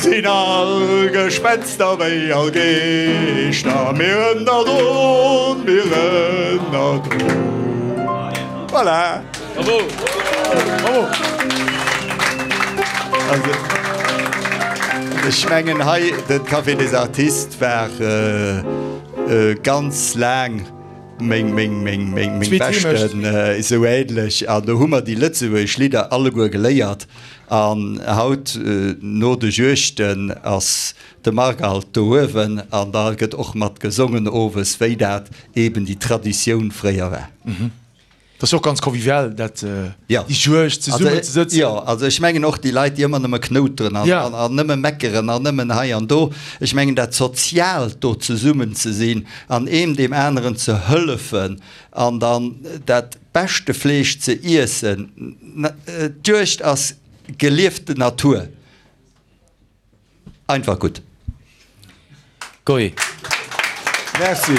sinn all Gespenster wéi all Geeschter mir ënnerdron, mir ënnerdron. Voilà! Bravo! Bravo! Also, ech mengen hei, de Café des Artistes war ganz laang meng, meng, meng, meng, meng beschten, esou ähnlech. An do hu mer déi lëtzebuergesch Lidder alleguer geléiert. An haut, no de Juegden, ass de Marc alt do uewen an da gëtt och mat gesongen owes, wéi dat eben déi Traditioun fréier war. Dat ass jo och ganz convivial, dat, déi Juegd, zesummen ze sëtzen. Jo, also ech mengen och déi Leit, déi ëmmer nëmme knouteren an, an nëmme meckeren an nëmmen hei an do, ech mengen dat Soziaalt do zesummen ze sinn an eem deem aneren ze hëllefen an dann dat beschte Fleesch ze iessen, d'Juegd ass gelieften Natur. Einfach gutt. Goi. Merci.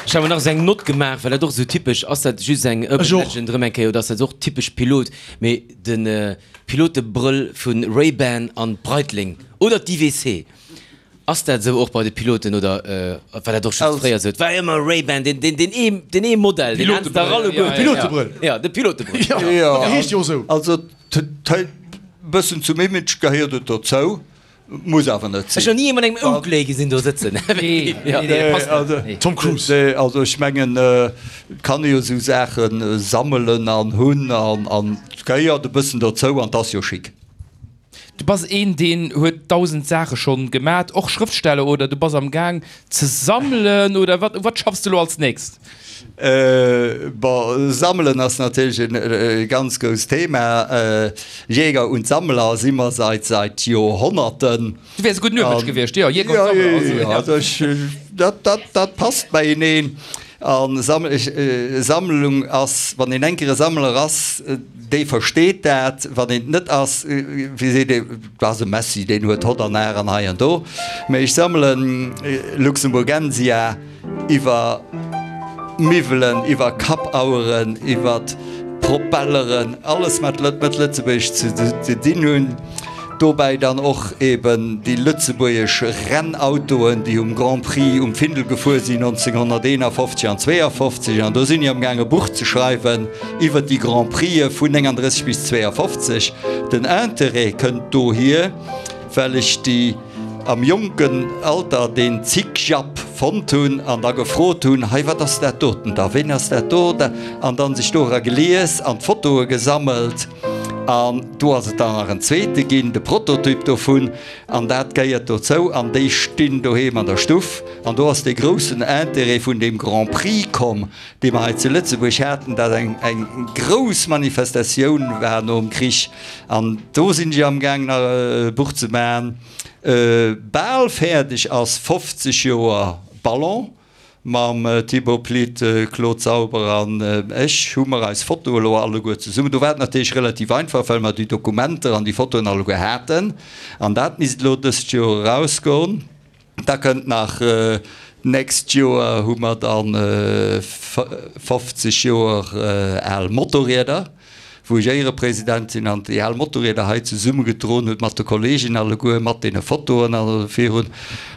Ech hat mer nach esou eng Nott gemaach, well dat och esou typesch, ass dat just eng Urban Legend erëm eng Kéier oder ass dat och typesch Pilot, mee de Pilotebrëll vu Ray-Ban an Breitling oder d'IWC, ass dat esou och bei de Piloten oder war dat och scho fréier esou? Et war ëmmer Ray-Ban, deen deen deen ee deen ee Modell, deen haten se dach alleguer. Pilotebrëll. Jo, de Pilotebrëll. Jo, dee heescht jo och esou. Also Bëssen zum Image gehéiert et dozou, muss awer net sinn. Ech hunn ni ee mat engem Oakley gesinn do sëtzen. Tom Cruise. Nee, also ech mengen, et kann ee jo esou Saache sammelen an hunn an et gehéiert e bëssen dozou an 't ass jo chic. Du bass een deen huet dausend Saache schonn gemat, och Schrëftsteller, oder du bass am Gaang ze sammelen, oder wat, u wat schaffs de lo als nächst? Bon, sammelen ass natierlech e ganz grousst Thema. Jäger und Sammler si mer seit seit Joerhonnerten. Du wäers e gudden Urmënsch gewiescht, jo, Jäger und Sammler, also, Jo, also ech, dat, dat, dat passt beieneen. A Sammlung ass, wann een enker e Sammler ass, dee versteet dat. Wann een et net ass, wéi seet ee, dat ass e Messi, deen huet hott an har an hei an do. Mee ech sammelen Luxemburgensia iwwer Miwwelen, iwwer Kappaueren, iwwer Propelleren, alles wat mat Lëtzebuerg ze dinn hunn. Dobäi dann och eben déi lëtzebuergesch Rennautoen, déi um Grand Prix um Findel gefuer sinn nonzénghonnerteenafofzeg an zweeafofzeg. An do sinn ech am gaang e Buch ze schreiwen iwwer déi Grand Prixë vun nénganddrësseg bis zweeafofzeg. Den Interêt kënnt dohier, well ech déi am jonken Alter deen Zick-Japp fonnt hunn an da gefrot hunn, hei wat ass dat doten da, ween ass dat do da, an dann sech dora gelies an d'Fotoe gesammelt. An do ass et dann nach en zweete ginn, de Prototyp dovun, an dat gehéiert dozou an déi stinn doheem an der Stuff. An do ass dee groussen Intérêt vun deem Grand Prix komm, dee mer hei zu Lëtzebuerg haten, dat eng eng grouss Manifestatioun war nom Krich. An do sinn ech amgaang nach e Buch ze maachen. Bal fäerdeg ass fofzeg Joer Ballon mam Thibaut Plitt, Claude Sauber an ech hu mer eis Fotoe lo alleguer zesummen. Do war et natierlech relativ einfach, well mer déi Dokumenter an déi Fotoen alleguer haten. An dat misst elo dëst Joer erausgoen. Da kënnt nach, d'nächst Joer hu mer dann fofzeg Joer al Motorrieder, wou ech Éierepresident sinn an déi al Motorrieder hei zesummegedroen huet mat de Kolleegen alleguer, mat deene Fotoen an esou virun.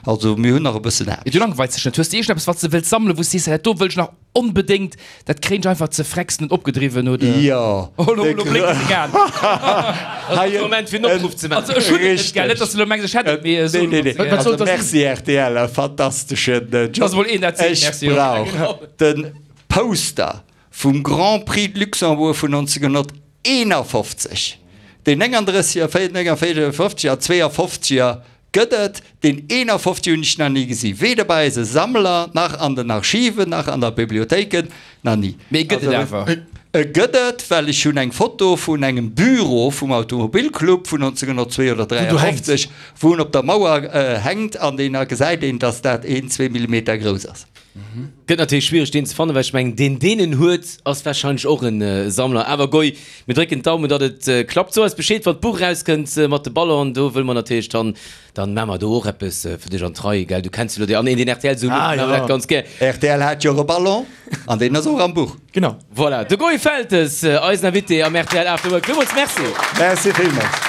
Also mir hunn nach e bëssen Aarbecht. Du langweils dech net? Hues de iergendeppes, wat s de wëlls sammelen, wou s sees, dat do wëll ech nach onbedéngt, dat kréien ech einfach ze frex net opgedriwwen, oder? Jo. Oh, lo, lo blénkt seng Aen. Hei e Moment fir en Opruff ze maachen. Also ech hunn et net, gell, net dass de lo mengs ech hätt et, mee Nee, nee, nee. Wat soll Also dat sinn? merci R T L, e fantasteschen Job. Dass emol een dat seet, Ech merci, jo. brauch de Poster vum Grand Prix de Luxembourg vun nonzénghunnerteenafofzeg, deen néngandrësseger, néngavéierfofzeger a zweeafofzeger gëtt et, deen eenafofzeger hunn ech nach ni gesi, weder bei eise Sammler, nach an den Archiven, nach an der Bibliothéiken, nach ni. Mee e gëtt et awer. E gëtt et, well ech hunn eng Foto vun engem Büro vum Automobilclub vun nonzénghunnertzwee oder dräiafofzeg, wou en op der Mauer hänkt an deen, da gesäit een, dass dat een, zwee Millimeter grouss ass. Gëtt natierlech schwiereg deen ze fannen, well ech mengen deen deen en huet ass wahrscheinlech och en Sammler. Awer goi, mir drécken d'Daumen datt et klappt. So eis Bescheed wann d'Buch erauskënnt mat de Ballonen, do wëlle mer natierlech dann, dann maa mer do och eppes fir dech an d'Rei, gell, du kenns jo lo déi an een deen R T L sou Ah lueft, maa mer jo. dat ganz gär. R T L hat jo och e Ballon an deen ass och am Buch. Genau. Voilà, de Goy Feltes, eisen Invité am R T L After Work. Villmools Merci. Merci villmools.